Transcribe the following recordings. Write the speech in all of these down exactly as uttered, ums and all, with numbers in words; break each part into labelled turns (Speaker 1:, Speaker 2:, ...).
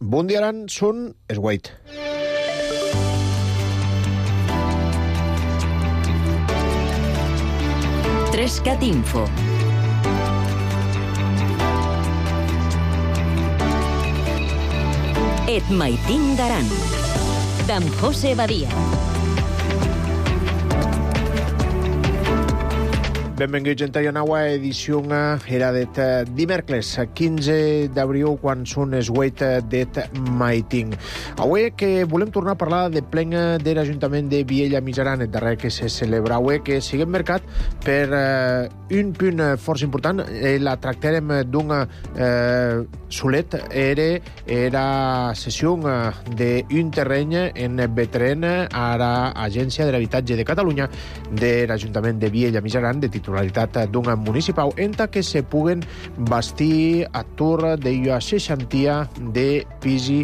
Speaker 1: Bon dia, Aran, són Esguait.
Speaker 2: Trescat Info. Et maitin d'Aran, d'en José Badia.
Speaker 1: Benvinguts a la nova edició era det dimecres, quinze d'abril, quan són les vuit det maiting. Avui que volem tornar a parlar de plena de l'Ajuntament de Viella Mijaran, el darrer que se celebra avui, que siguem marcat per eh, un punt força important. Eh, la tractarem d'una eh, solet, era, era sessió d'un terreny en Betren a l'Agència de l'Habitatge de Catalunya de l'Ajuntament de Viella Mijaran, de titularitat d'un municipal, enta que se puguen bastir a tour de la seixantia de pisi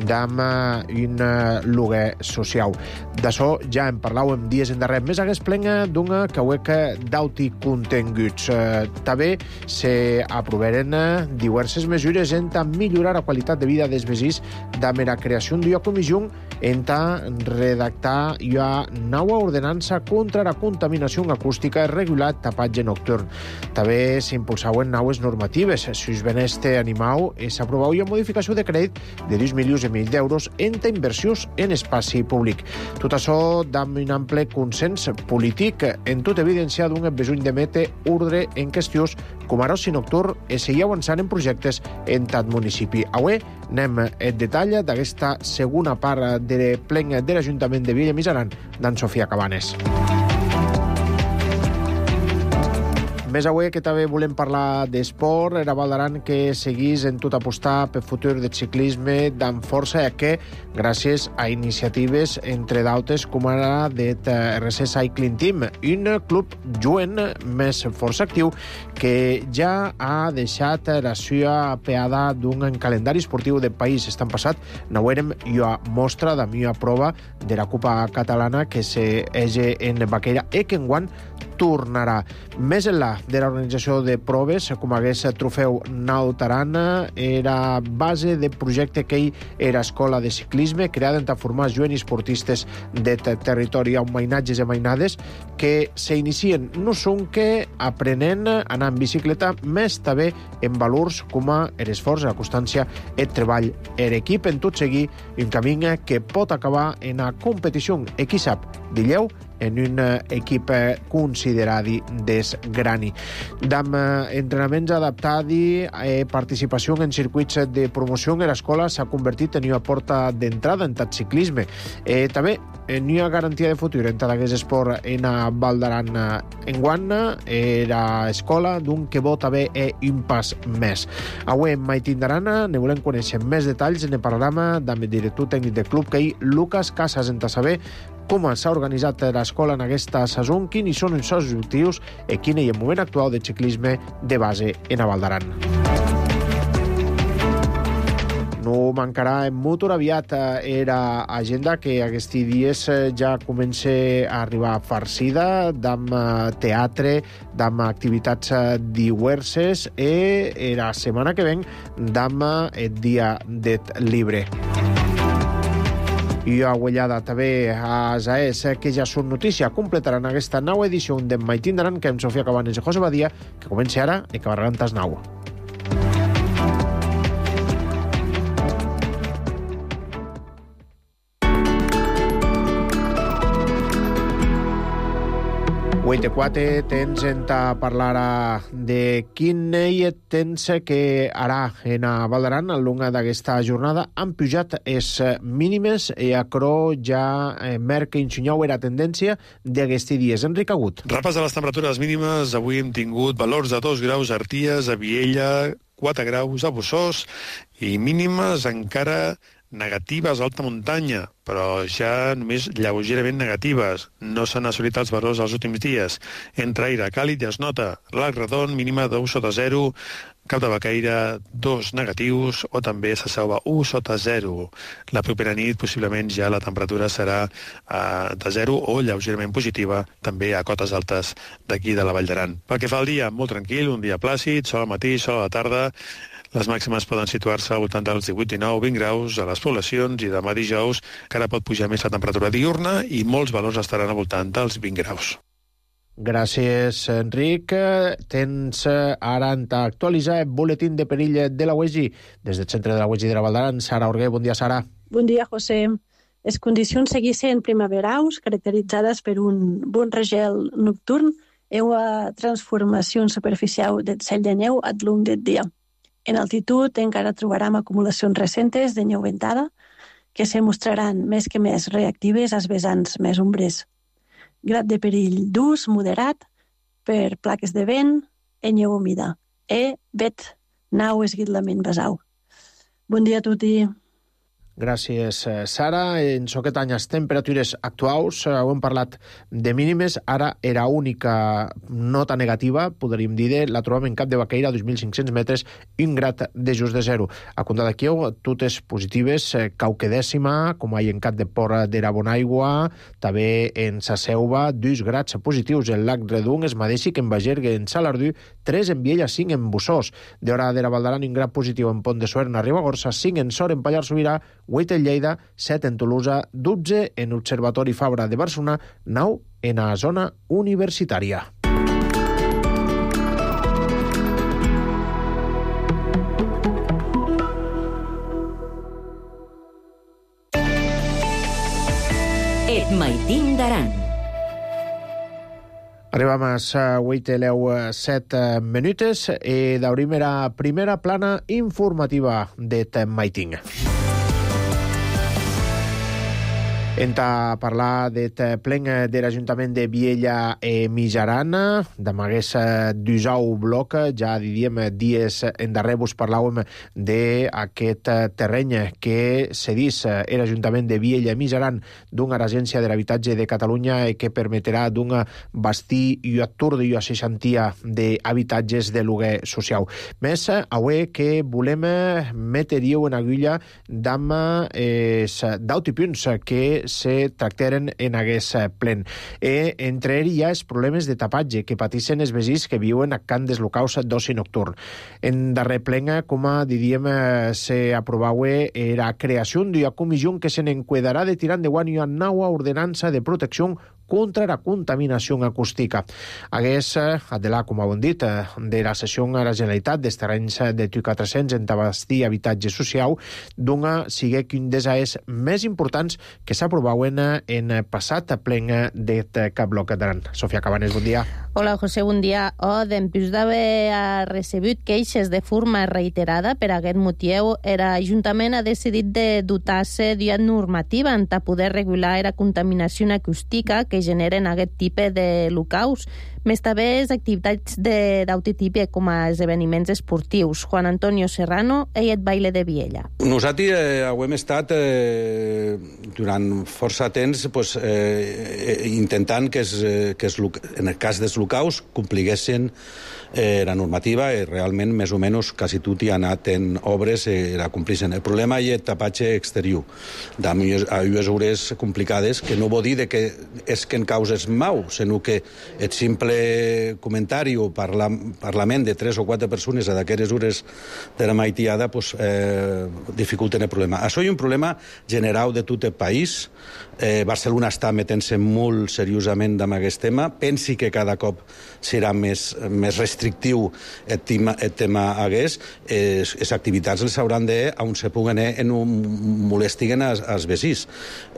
Speaker 1: d'am un lloguer social. D'això ja en parlàvem dies en darrer. Més hagués plena d'una caueca d'auti continguts. Eh, també se aproveren diverses mesures enta millorar la qualitat de vida dels veïns d'am la creació d'una comissió enta redactar la nova ordenança contra la contaminació acústica regulat tapatge nocturn. També s'impulsaven noves normatives. Si us beneste animau, s'aprovau una modificació de crèdit de dos milions i mig d'euros en inversions en espaci públic. Tot això amb un ample consens polític, en tot evidenciar d'un besony de mete ordre en qüestions com ara l'oci nocturn i seguir avançant en projectes en tot municipi. Avui anem en detall d'aquesta segona part de plena de l'Ajuntament de Viella Mijaran d'en Sofia Cabanes. Més avui que també volem parlar d'esport, era Val d'Aran que seguís en tot apostar pel futur del ciclisme d'amb força, que gràcies a iniciatives, entre d'altres, com ara del R C Cycling Team, un club jovent més força actiu que ja ha deixat la seva peada d'un calendari esportiu del país. Estan passat, n'haurem una mostra de mia prova de la Copa Catalana que se hege en Baqueira i que enguany tornarà. Més enllà de l'organització de proves, com hagués trofeu Nautarana, era base de projecte que era escola de ciclisme, creada per formar joves esportistes de territori amb mainatges i mainades que s'inicien no són que aprenent a anar en bicicleta, més també en valors com l'esforç, la constància, el treball en equip, en tot seguir un camí que pot acabar en la competició, i qui sap, dilleu, en un equip considerat desgrani. D'am entrenaments adaptats i participació en circuits de promoció en l'escola s'ha convertit en una porta d'entrada en tot ciclisme. Eh, també en una garantia de futur en tot aquest esport en Val d'Aran enguany era escola d'un que vol també un pas més. Avui en Maitin d'Aran ne volem conèixer més detalls en el programa amb el director tècnic del club, que hi Lucas Casas, en saber com s'ha organitzat l'escola en aquesta saison, quins són els seus objectius i quin és el moment actual del ciclisme de base en Val d'Aran. No mancarà molt aviat era agenda que aquests dies ja comença a arribar farcida d'am teatre, d'am activitats diverses i la setmana que ven d'am el dia del llibre. I a Uellada també a Zaès, que ja són notícia, completaran aquesta nova edició de Maitin d'Aran, que amb Sofia Cabanes i José Badia, que comença ara i acabarà en tas nau. Avui de quatre tens en parlar de quin ell tens que harà en Val d'Aran al llarg d'aquesta jornada. Han pujat les mínimes i acro ja merca insinyau era tendència d'aquests dies. Enric Agut.
Speaker 3: Repàs de les temperatures mínimes. Avui hem tingut valors de dos graus a Arties, a Viella, quatre graus a Bossòs i mínimes encara negatives a alta muntanya, però ja només lleugerament negatives. No s'han assolit els valors els últims dies. Entre aire càlid ja es nota l'Arc Redon, mínima de u sota zero, Cap de Baqueira, dos negatius, o també se Selva, u sota zero. La propera nit, possiblement, ja la temperatura serà uh, de zero o lleugerament positiva, també a cotes altes d'aquí de la Vall d'Aran. Pel que fa al dia, molt tranquil, un dia plàcid, sol al matí, sol a la tarda. Les màximes poden situar-se al voltant dels divuit, dinou, vint graus a les poblacions i demà dijous encara pot pujar més la temperatura diurna i molts valors estaran al voltant dels vint graus.
Speaker 1: Gràcies, Enric. Tens ara en actualitzar el boletín de perill de la U E G I. Des del centre de la U E G I de la Val d'Aran, Sara Orguer. Bon dia, Sara.
Speaker 4: Bon dia, José. Les condicions seguissin primaveraus, caracteritzades per un bon regel nocturn i una transformació superficial del cel de neu al llarg del dia. En altitud encara trobarem acumulacions recentes de neu ventada que se mostraran més que més reactives als vessants més ombres. Grad de perill d'ús moderat per plaques de vent i neu humida. E vet nau esguitlament basau. Bon dia a tutti.
Speaker 1: Gràcies, Sara. En aquest any les temperatures actuals, ho hem parlat de mínimes, ara era única nota negativa, podríem dir, la trobem en Cap de Baqueira, dos mil cinc-cents metres, un grad de just de zero. A Conda de Quieu, totes positives, cauque dècima, com hi ha en Cap de Port d'Era Bonaigua, també en Sa Selva, dos grads positius en Lac Redung, es mateix que en Bagergue, en Salardú, tres en Viella, cinc en Bussós. D'Hora d'Era Val d'Aran, un grad positiu en Pont de Suert, a Ribagorça, cinc en Sor, en Pallars Sobirà, vuit en Lleida, set en Tolosa, dotze en Observatori Fabra de Barcelona, nou en la zona universitària.
Speaker 2: Et maitin d'Aran.
Speaker 1: Arribam a les vuit i set minutes i d'obrim la primera plana informativa d'et maitin. Enta parlar d'et plen de l'Ajuntament de Viella e Mijaran, d'amagués d'usau bloc, ja diríem dies endarrer vos parlàvem d'aquest terreny que cedís l'Ajuntament de Viella e Mijaran d'una agència de l'habitatge de Catalunya i que permetrà d'un bastir i atur i a seixantia d'habitatges de lloguer social. Més, avui que volem metre-hi en agulla d'amb els d'autopunts que se tractaren en aquest plen. E entre ells hi ha els problemes de tapatge que patissen els veïns que viuen a can dels locals d'oci nocturn. En darrer plen, com diríem, se aprovava la creació d'una comissió que se n'enquadarà de tirar endavant una nova ordenança de protecció contra la contaminació acústica. Hagués, adelà, com ho hem dit, de la cessió a la Generalitat dels terrenys de T U quatre-cents en abastir habitatge social, d'una sigue que un dels és més importants que s'aprovaven en passat plen d'et cap bloc d'Aran. Sofia Cabanes, bon dia.
Speaker 5: Hola, José, bon dia. Oh, dempús d'haver recebut queixes de forma reiterada per aquest motiu, l'Ajuntament ha decidit de dotar-se d'una normativa en poder regular la contaminació acústica que generen aquest tipus de locals, més també les activitats d'autotip com a esdeveniments esportius. Juan Antonio Serrano, ell et baile de Viella.
Speaker 6: Nosaltres eh, hem estat eh, durant força temps pues, eh, intentant que, es, que es, en el cas dels locals compliguessin eh, la normativa i realment més o menys quasi tot hi ha anat en obres i eh, la complissin. El problema és el tapatge exterior d'unes hores complicades que no vol dir que és que en causes mau, sinó que el simple comentari o parla, parlament de tres o quatre persones a d'aquelles hores de la maitiada pues, eh, dificulten el problema. Això és un problema general de tot el país. Eh, Barcelona està metent-se molt seriosament amb aquest tema. Pensi que cada cop serà més, més restrictiu el tema, el tema hagués. Les activitats les hauran de, on se puguen eh, no molestiguen als, als veïns.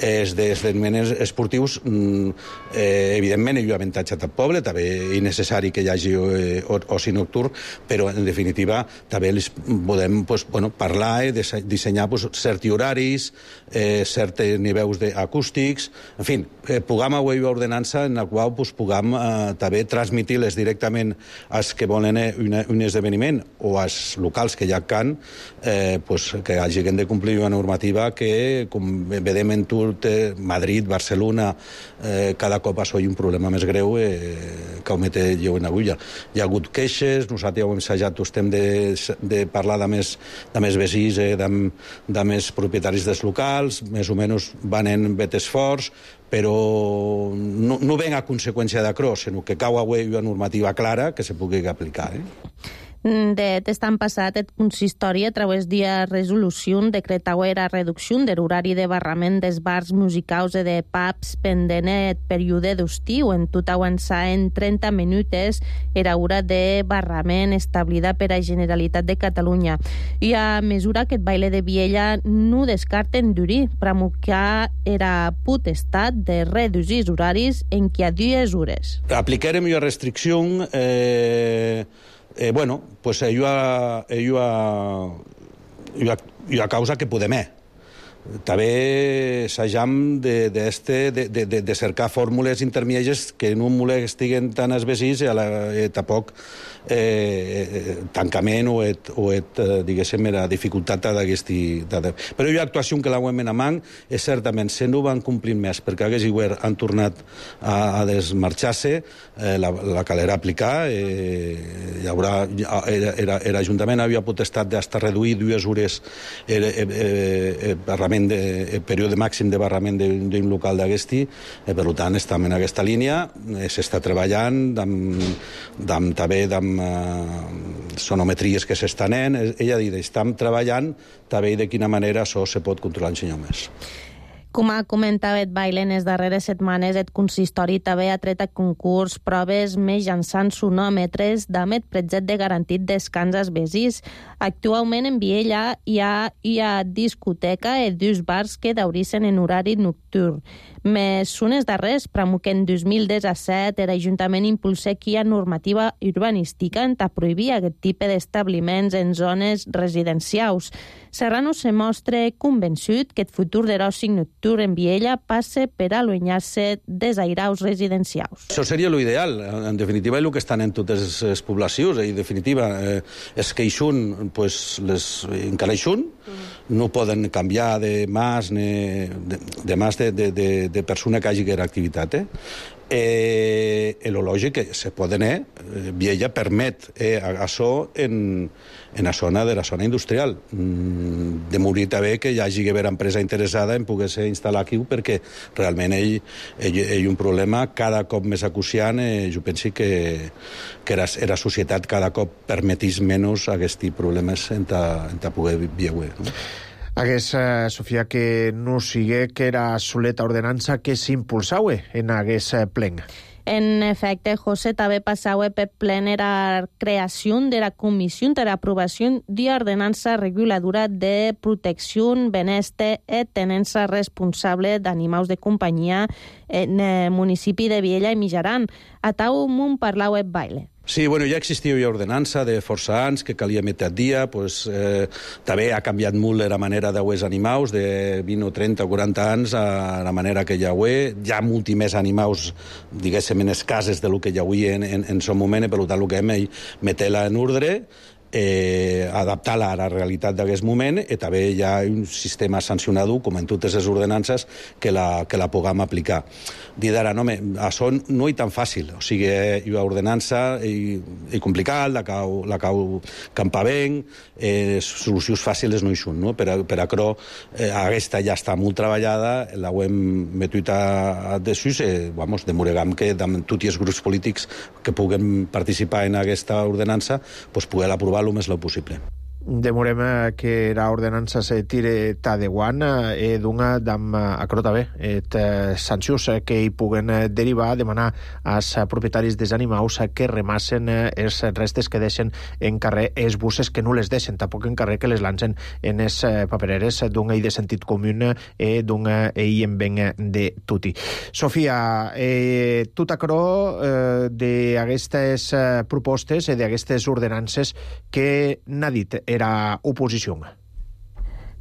Speaker 6: Els esdeveniments esportius, eh, evidentment, hi ha avantatge al poble, també és necessari que hi hagi eh, oci nocturn, però en definitiva també les podem pues, bueno, parlar, eh, dissenyar pues, certs horaris, eh, certs nivells acústics, en fi, eh, puguem avui una ordenança en la qual pues, puguem eh, també transmitir-les directament als que volen eh, un, un esdeveniment o als locals que ja can, eh, pues, que hagin de complir una normativa que, com vedem en tot eh, Madrid, Barcelona, eh, cada cop això hi ha un problema més greu eh, que ho mete jo en agulla. Hi ha hagut queixes, nosaltres ja ho hem assajat, estem de, de parlar de més, de més veïns, eh, de, de més propietaris dels locals, més o menys van en bet esforç, però no, no ven a conseqüència de cros, sinó que cau avui una normativa clara que se pugui aplicar. Eh?
Speaker 5: De testan passat et consistori a través d'una resolució decretau era reducció de l'horari de barrament dels bars musicaus e de pubs pendent el període d'estiu. En tot avançar en trenta minutes era hora de barrament establida per a Generalitat de Catalunya. I a mesura que el baile de Viella no descarten durir, promulgar era potestat de reduir els horaris en que a dues hores.
Speaker 6: Aplicarem una restricció eh... Eh, bueno, pues ello a, ello a, ello a, ello a causa que podem. També s'ajam de, de, este, de, de, de cercar fórmules intermèdies que no molestiguen tant els vecins i a la, eh, tampoc eh, tancament o, et, o et, diguéssim, la dificultat d'aquesti... Però hi ha actuació que la U E M en amant és certament, se no van complir més perquè hagués igual han tornat a, a desmarxar-se, eh, la, la calera aplicar, eh, hi haurà, l'Ajuntament havia potestat d'estar reduir dues hores el eh, eh, eh, de període màxim de barrament d'un local d'aquesti, eh, per tant estem en aquesta línia, eh, s'està treballant amb, també amb eh, sonometries que s'estan en, ella ha dit, estem treballant també de quina manera això se pot controlar en senyor més.
Speaker 5: Com ha comentat el baile en les darreres setmanes, el consistori també ha tret a concurs proves mitjançant sonòmetres d'àmbit pretzet de garantit descans als vecins. Actualment en Viella hi ha, hi ha discoteca i dos bars que daurissen en horari nocturn. Més unes darrers, promulguen en dos mil disset, l'Ajuntament impulsa qui ha normativa urbanística en ta prohibir aquest tipus d'establiments en zones residencials. Serrano se mostra convençut que el futur de l'oci nocturn en Viella passa per allunyar-se dels airaus residencials.
Speaker 6: Això seria l'ideal. En definitiva, és el que estan en totes les poblacions. En definitiva, eh, és que eixun, pues, les, encara eixun, no poden canviar de mas, ni, de, de mas de, de, de, de persona que hagi que era activitat. Eh? Eh, el lògic que se poden, eh, Viella permet eh, això en, en la zona de la zona industrial. Mm, de morir també que hi hagi que haver empresa interessada en poder-se instal·lar aquí, perquè realment ell, ell, ell un problema cada cop més acuciant. Eh, jo penso que, que la, la societat cada cop permetís menys aquests problemes en ta, en ta poder viure. No?
Speaker 1: Hagués, eh, Sofia, que no sigue que era soleta ordenança que s'impulsaue en hagués eh, plen.
Speaker 5: En efecte, José, també passava per plen la creació de la Comissió de l'Aprovació d'Ordenança Reguladora de Protecció, Benestar i Tenença Responsable d'Animals de Companyia en el municipi de Viella i Mijaran. A tau m'ho parlava el baile.
Speaker 6: Sí, bueno, ja existia una ordenança de força anys que calia metre a dia, pues, eh, també ha canviat molt la manera de els animals, de vint o trenta o quaranta anys a la manera que hi ha avui. Hi ha molts més animals, diguéssim, en les cases del que hi ha avui en, en, en son moment, i per tant el que hem és metre-la en ordre, eh, adaptar-la a la realitat d'aquest moment, i també hi ha un sistema sancionador, com en totes les ordenances, que la, que la puguem aplicar. Dir d'ara, no, això no és tan fàcil, o sigui, hi ha ordenança i, i complicat, la cau, la cau campavent, eh, solucions fàcils no hi són, no? Per a, per a cro, eh, aquesta ja està molt treballada, la ho hem metut a, a desús, eh, vamos, demoregam que amb tots els grups polítics que puguem participar en aquesta ordenança, pues, poder aprovar el més lo possible.
Speaker 1: Demorem que la ordenança se tire t'adeguant e dunga dam acrota bé et sancions que hi puguen derivar, demanar als propietaris dels animals que remassen els restes que deixen en carrer, els busses que no les deixen tampoc en carrer, que les lancen en les papereres d'un ell de sentit comú i d'un ell en ben de tutti. Sofia, eh, tot acrò eh, d'aquestes propostes i d'aquestes ordenances que n'ha dit era oposició.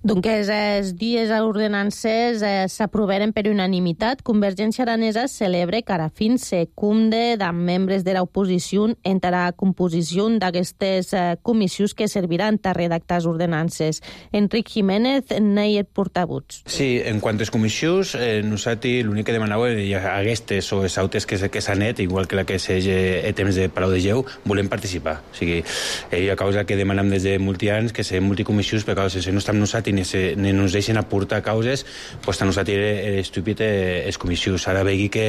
Speaker 5: Donc, els dies ordenances eh, s'aproveren per unanimitat. Convergència Aranesa celebra que ara fins se cumde de membres de l'oposició entre la composició d'aquestes eh, comissions que serviran a redactar les ordenances. Enric Jiménez n'hi és portavoz.
Speaker 7: Sí, en quant a les comissions, eh, nosaltres l'únic que demanava era aquestes o les altres que, que s'han net, igual que la que s'és a temps de Palau de Geu, volem participar. O sigui, eh, a causa que demanem des de multi anys que siguin multicomissions, perquè si no estem nosaltres ni, se, ni ens deixen aportar causes, pues tant nosaltres era estúpid els comissions. Ara vegi que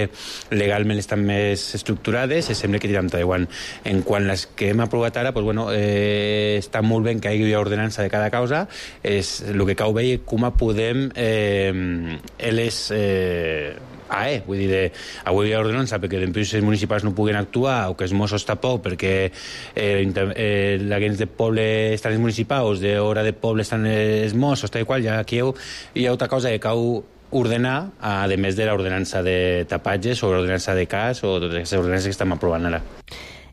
Speaker 7: legalment estan més estructurades i sembla que tiram endavant. En quant les que hem aprovat ara, pues, bueno, eh, està molt bé que hi hagi ordenança de cada causa. És el que cal veure com podem eh, les... Eh, Ah, eh? Vull dir, de, avui hi ha ordenança perquè les empreses municipals no puguen actuar o que els Mossos tampoc perquè eh, eh, la gens de poble estan els municipals, d'hora de poble estan els Mossos, tal i qual, ja aquí hi ha altra cosa que cal ordenar, a més de l'ordenança de tapatges o l'ordenança de cas o totes aquestes ordenances que estem aprovant ara.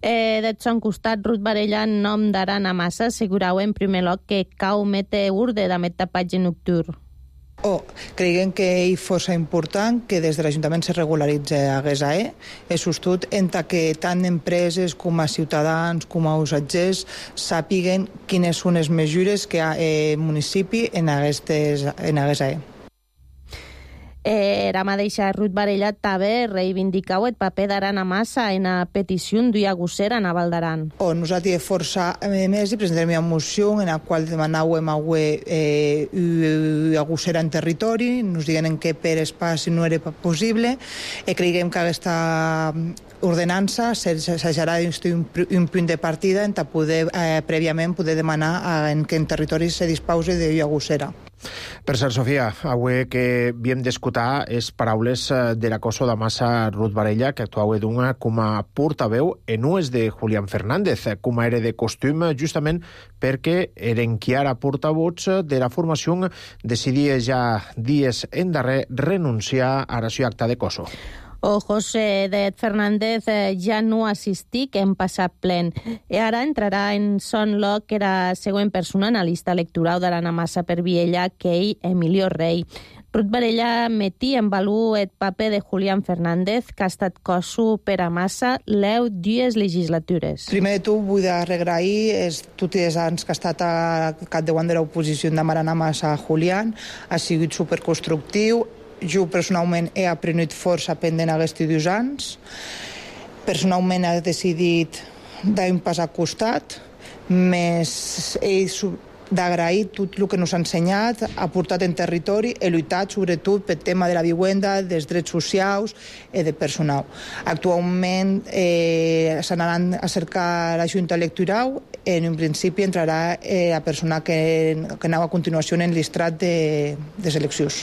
Speaker 5: Eh, D'eth son costat, Ruth Varela, en nom d'Aran Massa, assegurau en primer lloc que cau mete urde d'amet tapatge nocturn.
Speaker 8: Oh, creiem que és força important que des de l'Ajuntament se regularitza hagués a E. És justut entre que tant empreses com a ciutadans com a usatgers sàpiguen quines són les mesures que ha el municipi en hagués a E.
Speaker 5: Eh, era mateixa Ruth Varela també reivindicau el paper d'Aran Massa en la petició d'una gossera a Val d'Aran.
Speaker 8: Oh, nosaltres força més i presentarem una moció en la qual demanàvem eh, una gossera en territori, ens diguen en què per espaci no era possible, i creiem que aquesta ordenança s'haurà d'instituir un punt de partida en poder eh, prèviament poder demanar en què en territori se dispause d'una gossera.
Speaker 1: Per cert, Sofia, avui que havíem d'escoltar és paraules de la Coso de Massa Ruth Varela, que actuava d'una com a portaveu en ús de Julián Fernández, com era de costum, justament perquè eren qui ara portavots de la formació decidia ja dies en darrer renunciar a la seva acta de Coso.
Speaker 5: O José de Fernández eh, ja no assistic en passat plen. I ara entrarà en son lloc que era següent persona en la llista electoral d'Aran Massa per Viella, que ell, Emilio Rey. Ruth Varela metí en valor el paper de Julián Fernández, que ha estat coso per a Massa l'eu dues legislatures.
Speaker 8: Primer de tot vull agrair tots els anys que ha estat a capdavant de l'oposició de Aran Massa a Julián. Ha sigut superconstructiu. Jo personalment he aprenut força pendent aquests dos anys. Personalment he decidit dar un pas al costat, més he d'agrair tot el que ens ha ensenyat, ha portat en territori, he lluitat sobretot pel tema de la vivenda, dels drets socials i de personal. Actualment eh, s'anaran a cercar la Junta Electoral, en un principi entrarà eh, la persona que, que anava a continuació en l'estrat de, de seleccions.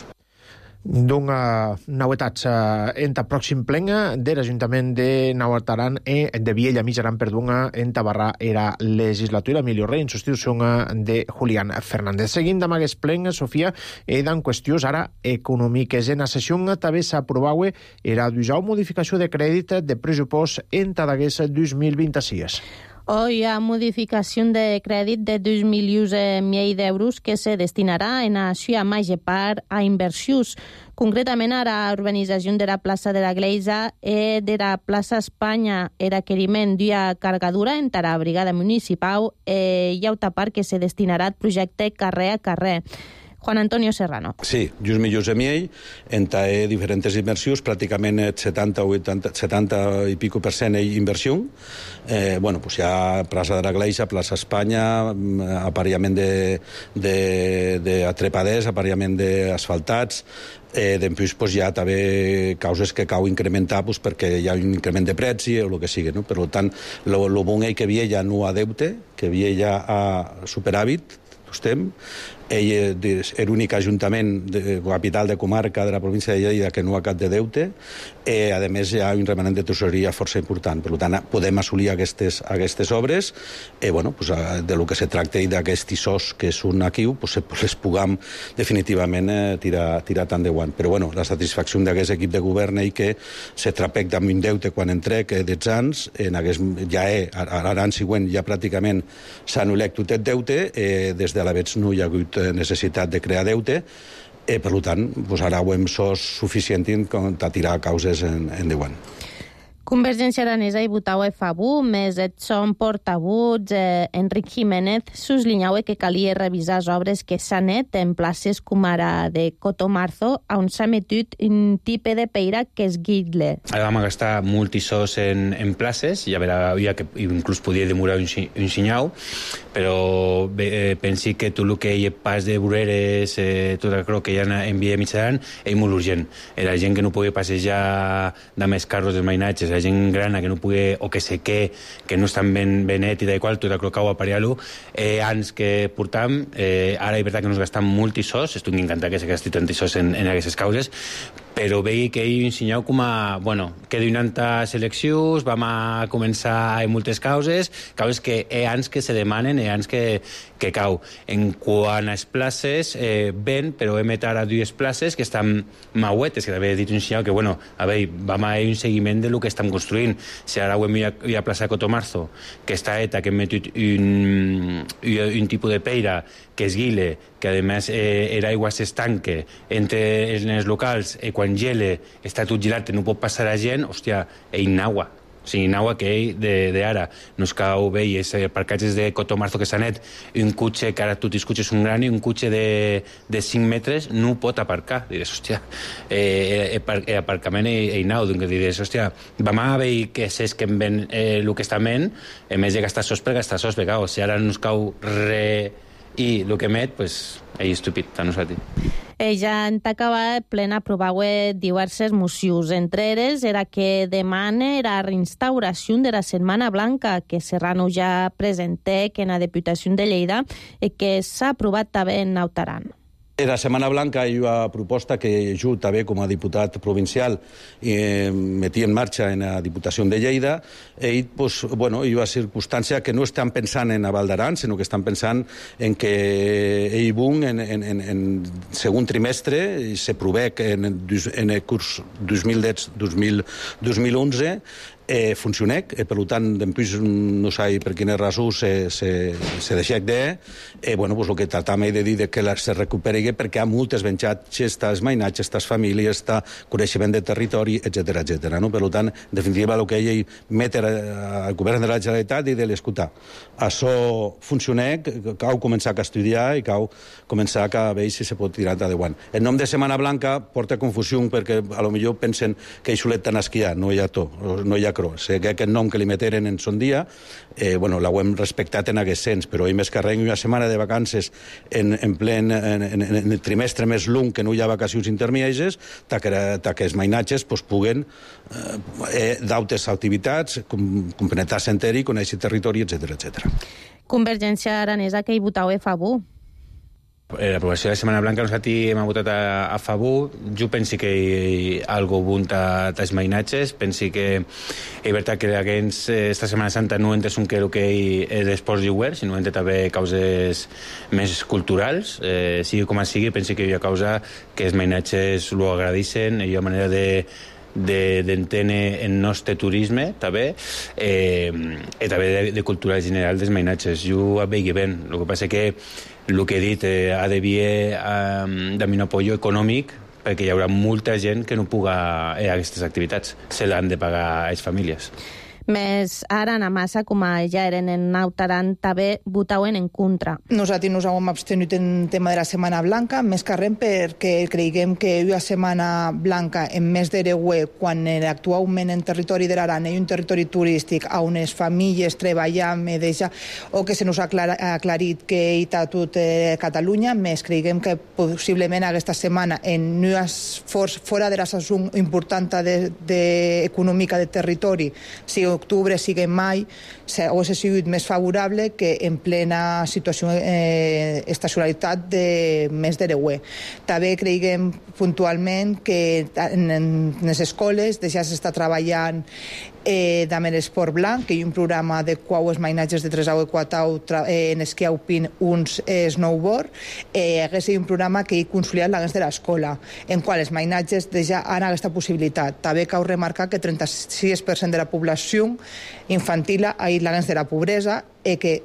Speaker 1: D'una novetats en el pròxim plen de l'Ajuntament de Navartaran i de Viella Mitjaran per d'una en Tabarra era legislatura Emilio Rey en substitució de Julián Fernández. Seguint amb aquest plen, Sofia, he d'en qüestions ara econòmiques. En la sessió també s'aprovava era d'usar modificació de crèdit de pressupost en d'aguest dos mil vint-i-sis.
Speaker 5: Hoy ha modificació de crèdit de dos milions i mig d'euros que se destinarà en la seva major part a inversions. Concretament a la urbanització de la plaça de la Gleisa i de la plaça Espanya el requeriment d'una cargadura en la brigada municipal i hi ha una part que se destinarà al projecte carrer a carrer. Juan Antonio Serrano.
Speaker 6: Sí, just milions de miei, entre diferents inversions, pràcticament setanta o vuitanta, setanta i pico per cent inversió. Eh, bueno, pues hi ha plaça de la Gleisa, plaça Espanya, aparellament de, de, de atrepaders, aparellament d'asfaltats, eh, després pues, hi ha també causes que cau incrementar pues, perquè hi ha un increment de preci o el que sigui. No? Per tant, el bon és que Viella no ha deute, que Viella ha superàvit, estem. Ell és l'únic ajuntament de capital de comarca de la província de Lleida que no ha cap de deute. Eh, a més, hi ha un remanent de tesoreria força important. Per tant, podem assolir aquestes, aquestes obres. Eh, bueno, pues, de lo que se tracta i d'aquests issos que són aquí, pues, les puguem definitivament eh, tirar, tirar tant de guant. Però bueno, la satisfacció d'aquest equip de govern és que se trapec amb un deute quan entrec eh, dels anys, en aquest, ja és, a l'any següent ja pràcticament s'ha anul·lat tot el deute, eh, des de l'Avets no hi ha hagut necessitat de crear deute, eh, per tant, pues ara ho hem sos suficient per tirar causes en, en endavant.
Speaker 5: Convergència Aranesa i votau a favor, més Edson portavuts, eh, Enric Jiménez, suslinyaue que calia revisar les obres que s'han net en places com ara de Cotomarzo, on s'ha metut un tipus de peira que és guidle.
Speaker 7: Ara vam gastar multisós en, en places, i a veure, havia que inclús podia demorar un, un xinyau, però eh, pensi que tot el que hi ha pas de voreres, eh, tot el que hi ha en via mitjana, és molt urgent. Era gent que no podia passejar de més carros dels mainatges, la gent grana que no pugui, o que sé què, que no estan ben, ben net i de qual, tot el que cau a pariar-lo, eh, anys que portam, eh, ara és veritat que nos gastam multisós, estic encantat que se gasti tantisós en, en aquestes causes, però veig que hi ensenyeu com a, bueno, que donant seleccions, vam a començar en moltes causes, causes que hi ha anys que se demanen, hi ha anys que, que cau. En quant a les places, eh, ben, però hem met ara dues places que estan mauetes, que també he dit un ensenyeu que, bueno, a veure, vam a un seguiment de lo que estem construint. Si ara ho hem hi a plaça Cotomarzo, que està eta, que hem metut un, un tipus de peira que es guile, que a més eh, era aigua s'estanque entre els locals, i eh, quan gele està tot gelat, no pot passar a gent, hòstia, ell naua. O sigui, naua que ell d'ara nos cau bé, i els parcatges de Cotomarzo que s'ha net, un cotxe, que ara tots els cotxes són grans, un cotxe de, de cinc metres no pot aparcar. Diràs, hòstia, eh, eh, aparcament ell nau, doncs diràs, hòstia, vam a veure que s'és que em ven eh, el que està ment, en més de gastar sos per gastar sos, perquè, o sigui, ara nos cau re... i el que emet, pues, ell estúpid, a nosaltres.
Speaker 5: Ella en t'acaba plena aprovar diverses mocions. Entre elles era que demana la reinstauració de la Setmana Blanca, que Serrano ja presenté que en la Diputació de Lleida i que s'ha aprovat també en Nautaran.
Speaker 6: La Setmana Blanca hi ha una proposta que jo també com a diputat provincial eh, metí en marxa en la Diputació de Lleida, i pues, bueno, hi ha una circumstància que no estan pensant en Val d'Aran, sinó que estan pensant en que ell bun en, en, en, en segon trimestre i se provec en, en el curs dos mil deu dos mil onze eh, funcionec, eh, per tant, després no sé per quina raó se, se, se deixec de, eh, bueno, pues, el que tratam de dir de que la, se recuperi perquè hi ha moltes benxatges, estàs mainatges, estàs famílies, està coneixement de territori, etcètera, etcètera. No? Per tant, en definitiva, el que ell metre al govern de la Generalitat i de l'escoltar. Això funcionec, cal començar a estudiar i cal començar a veure si se pot tirar endavant. El nom de Setmana Blanca porta confusió perquè a lo millor pensen que ell solet tan esquiar, no hi ha to, no hi ha cro. Sé que aquest nom que li meteren en son dia, eh, bueno, l'hem respectat en aquest sens, però ell més que res una setmana de vacances en, en plen en, en, en el trimestre més lung que no hi ha vacacions intermèdies, ta que, ta que els mainatges pues, puguen eh, d'altres activitats, com, completar-se enter i conèixer territori, etcètera, etcètera.
Speaker 5: Convergència Aranesa que hi votau a favor.
Speaker 7: L'aprovació de la Setmana Blanca nosaltres hem votat a, a favor. Jo penso que hi ha algo bon als mainatges. Penso que és veritat que aquests, esta Setmana Santa no entres un que el que és d'esports lliuers, sinó entra també causes més culturals. Eh, sigui com sigui, penso que hi ha causa que els mainatges ho agradeixen, hi ha manera de d'entendre de, el nostre turisme també, eh, i també de, de cultura general dels mainatges. Jo ho veig bé. El que passa que el que he dit eh, ha d'haver eh, de un apoyo econòmic perquè hi haurà molta gent que no puga eh, aquestes activitats. Se l'han de pagar a les famílies.
Speaker 5: Més ara a massa, com ja eren en Nautaran, també votaven en contra.
Speaker 8: Nosaltres nos hem abstenut en tema de la Setmana Blanca, més que res perquè creiem que una Setmana Blanca en més d'Ereguer, quan actualment en territori de l'Aran hi ha un territori turístic on les famílies treballam, deixa, o que se nos ha aclarit que hi ha tot eh, Catalunya, més creiem que possiblement aquesta setmana en un esforç fora de la saison important de, de, econòmica de territori, si octubre sigui mai, o s'ha sigut més favorable que en plena situació eh, estacionalitat de mes d'Ereguer. També creiem puntualment que en, en les escoles ja s'està treballant eh, amb l'esport blanc, que hi ha un programa de quau els mainatges de tres a quatre eh, en esquí alpin, uns eh, snowboard, eh, hagués un programa que hi consolidat l'abans de l'escola, en qual els mainatges ja han aquesta possibilitat. També cal remarcar que el trenta-sis per cent de la població infantil ha ido l'abans de la pobresa i que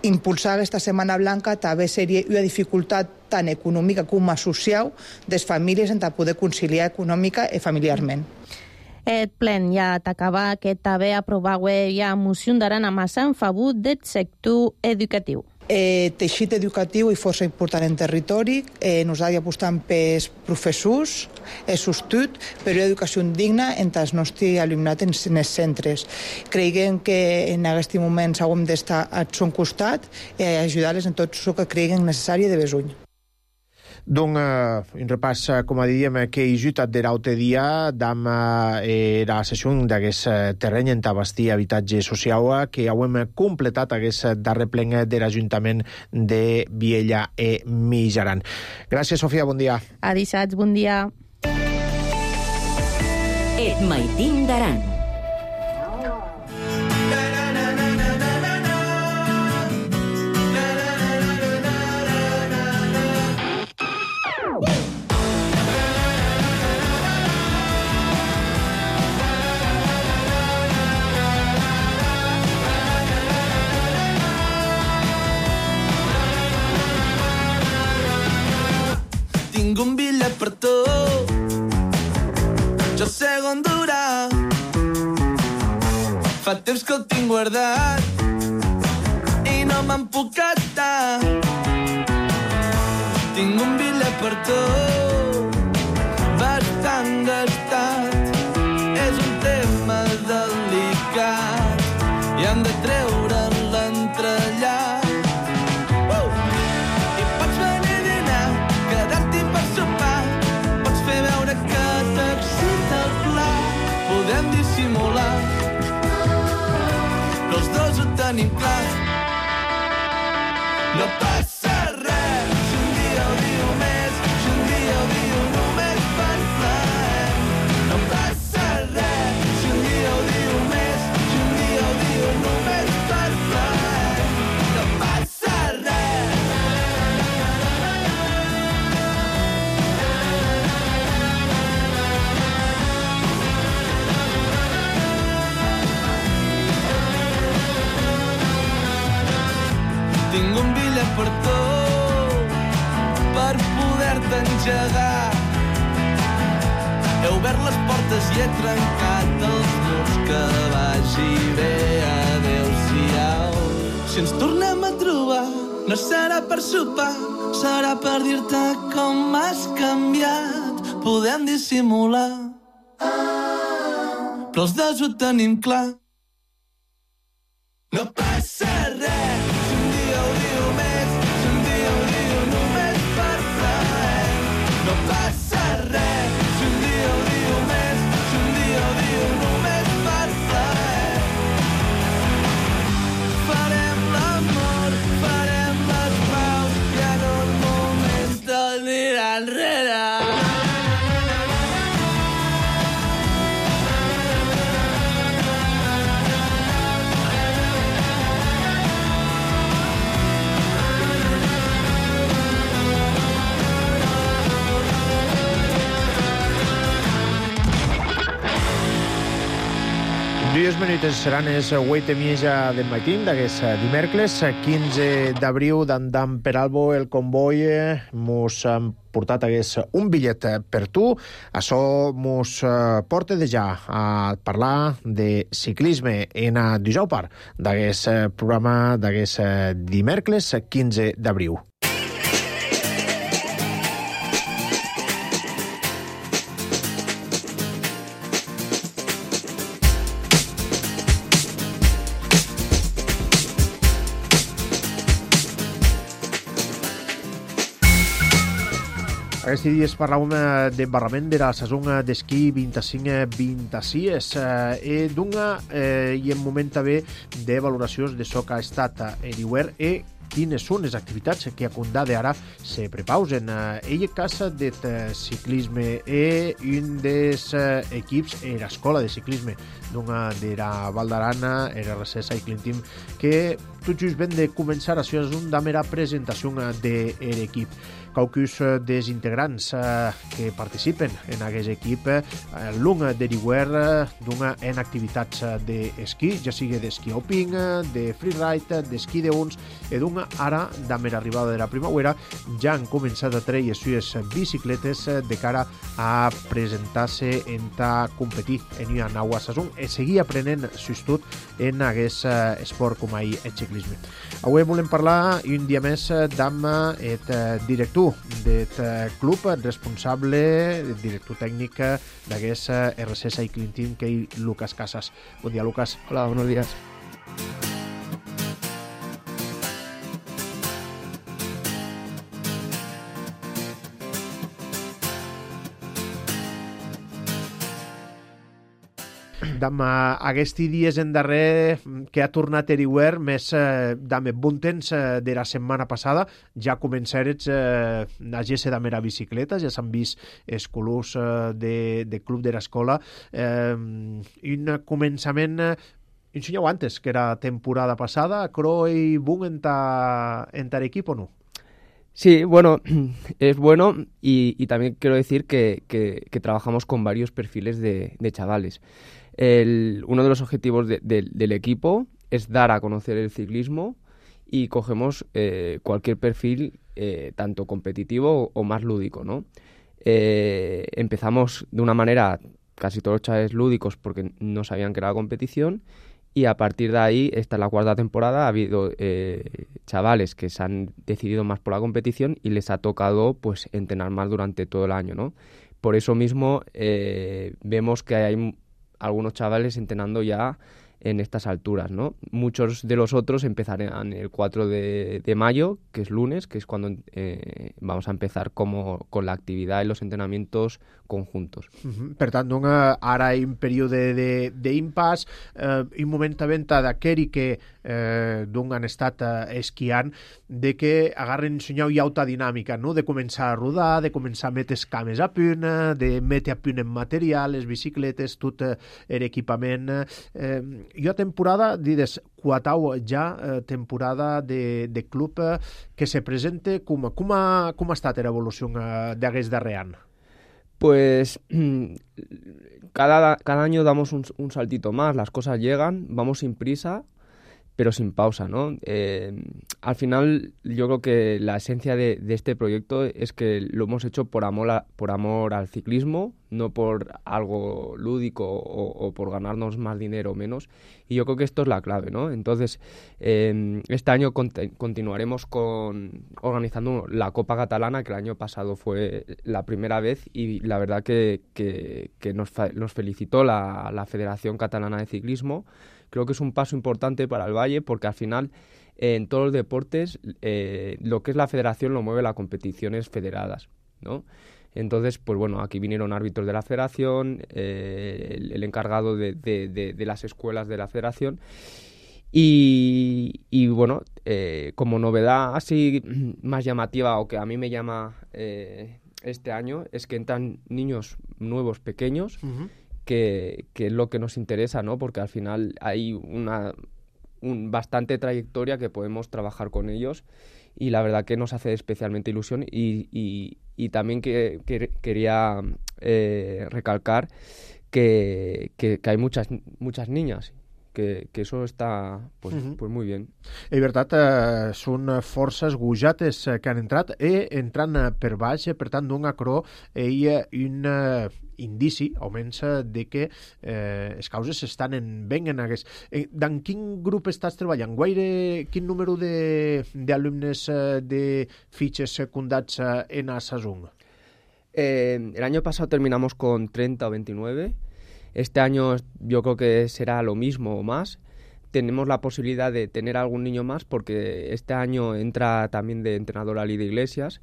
Speaker 8: impulsar aquesta Setmana Blanca també seria una dificultat tant econòmica com social de les famílies en poder conciliar econòmica i familiarment.
Speaker 5: Et plen ja t'acaba que també aprovau ja moció d'Aran a massa en favor del sector educatiu.
Speaker 8: Eh, teixit educatiu i força important en territori. Eh, nosaltres apostam pels professors, és sostut, però educació digna entre els nostres alumnat en els centres. Creiem que en aquest moment hauríem d'estar a son costat i ajudar-les en tot el que creguin necessari de besuny.
Speaker 1: Donc, uh, un repàs, uh, com a diem, que hi jutat d'eraute dia dam uh, era sessió d'aquest uh, terreny en tabastí habitatge social uh, que hauem completat aquest darrer plen de l'Ajuntament de Viella e Mijaran. Gràcies, Sofia, bon dia.
Speaker 5: A dissabte, bon dia.
Speaker 2: Et maitim d'Aran.
Speaker 9: Tinc un bitllet per tu, jo sé on durà. Fa temps que el tinc guardat i no me'n puc estar. Tinc un bitllet per tu, bastant gastat. És un tema delicat i hem de treure'n l'entrellat. Podem dissimular, però els dos ho tenim clar. No passa res si un dia ho diu més, si un dia ho diu només per plaer. No passa res si un dia ho diu més, si un dia ho diu només per plaer. No passa res. Tinc un bitllet per tu, per poder-te engegar. He obert les portes i he trencat els murs, que vagi bé, adeu-siau. Si ens tornem a trobar, no serà per sopar, serà per dir-te com m'has canviat. Podem dissimular, però els dos ho tenim clar. No passa res si un dia ho diu més, si un dia ho diu només per plaer. No passa res si un dia ho diu més, si un dia ho diu només per plaer. Farem l'amor, farem les paus i en un moment t'anirà enrere.
Speaker 1: Dies minuts seran els vuit i mitja del matí d'aquest dimecres, quinze d'abril, d'andam per Albo, el comboi mos han portat hagués un bitllet per tu. Això mos porta de ja a parlar de ciclisme en a dijous part d'aquest programa d'aquest dimecres, quinze d'abril. Aquests dies parlàvem d'embarrament de la saison d'esquí vint-i-cinc vint-i-sis i d'una i en moment també de valoracions de so que ha estat l'hivern i quines són les activitats que a Condà d'ara se prepausen. Ell és cas del ciclisme i un dels equips és l'escola de ciclisme d'una de la Val d'Aran, R C Cycling Team, que tot just ben de començar, això és una mera presentació de l'equip. Quaucus dels integrants que participen en aquest equip, l'un deriuer d'una en activitats d'esquí, ja sigui d'esquí alpin, de freeride, d'esquí d'uns, i d'una ara, damb l'arribada de la primavera, ja han començat a treure les sues bicicletes de cara a presentar-se en ta competir en una nau a Sasun i seguir aprenent sustut en aquest esport com ahir el ciclisme. Avui volem parlar un dia més amb el director del club, responsable, director tècnic d'aquest R C Cycling Team, que és Lucas Casas. Bon dia, Lucas.
Speaker 10: Hola, buenos días.
Speaker 1: Damb aquests dies en darrer que ha tornat eriuer, més eh, damb bon temps eh, de la setmana passada, ja començarets eh, a gesse damb la bicicleta, ja s'han vist els colors eh, de, de club de l'escola. Eh, un començament, eh, ensenyeu antes, que era temporada passada, cro i boom en ta, en ta equip o no?
Speaker 10: Sí, bueno, es bueno y, y también quiero decir que, que, que trabajamos con varios perfiles de, de chavales. El, uno de los objetivos de, de, del equipo es dar a conocer el ciclismo y cogemos eh, cualquier perfil, eh, tanto competitivo o, o más lúdico, ¿no? Eh, empezamos de una manera, casi todos los chavales lúdicos, porque no sabían que era la competición, y a partir de ahí, esta es la cuarta temporada, ha habido eh, chavales que se han decidido más por la competición y les ha tocado pues entrenar más durante todo el año, ¿no? Por eso mismo eh, vemos que hay algunos chavales entrenando ya en estas alturas, ¿no? Muchos de los otros empezarán el cuatro de, de mayo, que es lunes, que es cuando eh, vamos a empezar como, con la actividad y los entrenamientos conjuntos.
Speaker 1: Uh-huh. Per tant, una, ara hi ha un període d'impàs, eh, un moment de venta d'aqueri que eh, d'un han estat eh, esquiant, de que agarren senyau i auta dinàmica, no? De començar a rodar, de començar a metre cames a punt, de metre a punt en material, les bicicletes, tot eh, l'equipament. Eh, jo a temporada, dides, quatau ja eh, temporada de, de club eh, que se presente, com, com, ha, com ha estat l'evolució eh, d'aquest darrer any?
Speaker 10: Pues cada, cada año damos un, un saltito más, las cosas llegan, vamos sin prisa, pero sin pausa, ¿no? Eh, al final yo creo que la esencia de, de este proyecto es que lo hemos hecho por amor, a, por amor al ciclismo, no por algo lúdico o, o por ganarnos más dinero o menos, y yo creo que esto es la clave, ¿no? Entonces, eh, este año cont- continuaremos con organizando la Copa Catalana, que el año pasado fue la primera vez, y la verdad que, que, que nos, fa- nos felicitó la, la Federación Catalana de Ciclismo. Creo que es un paso importante para el Valle porque al final eh, en todos los deportes eh, lo que es la federación lo mueve las competiciones federadas, ¿no? Entonces, pues bueno, aquí vinieron árbitros de la federación, eh, el, el encargado de, de, de, de las escuelas de la federación y, y bueno, eh, como novedad así más llamativa o que a mí me llama eh, este año es que entran niños nuevos pequeños. Uh-huh. Que, que es lo que nos interesa, ¿no? Porque al final hay una un, bastante trayectoria que podemos trabajar con ellos y la verdad que nos hace especialmente ilusión y, y, y también que, que quería eh, recalcar que, que, que hay muchas, muchas niñas. Que, que eso está pues, uh-huh. pues muy bien.
Speaker 1: És veritat, eh, són forces gojates que han entrat i entrant per baix, per tant, d'un acró hi ha un eh, indici, almenys, de que eh, les causes estan en ben en aquest... Eh, en quin grup estàs treballant? Guaire, quin número d'alumnes eh, de fitxes secundats eh, en a Sasun?
Speaker 10: Eh, el año pasado terminamos con treinta o veintinueve. Este año yo creo que será lo mismo o más. Tenemos la posibilidad de tener algún niño más porque este año entra también de entrenadora Lidia Iglesias.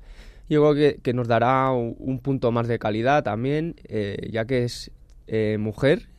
Speaker 10: Yo creo que, que nos dará un, un punto más de calidad también, eh, ya que es eh, mujer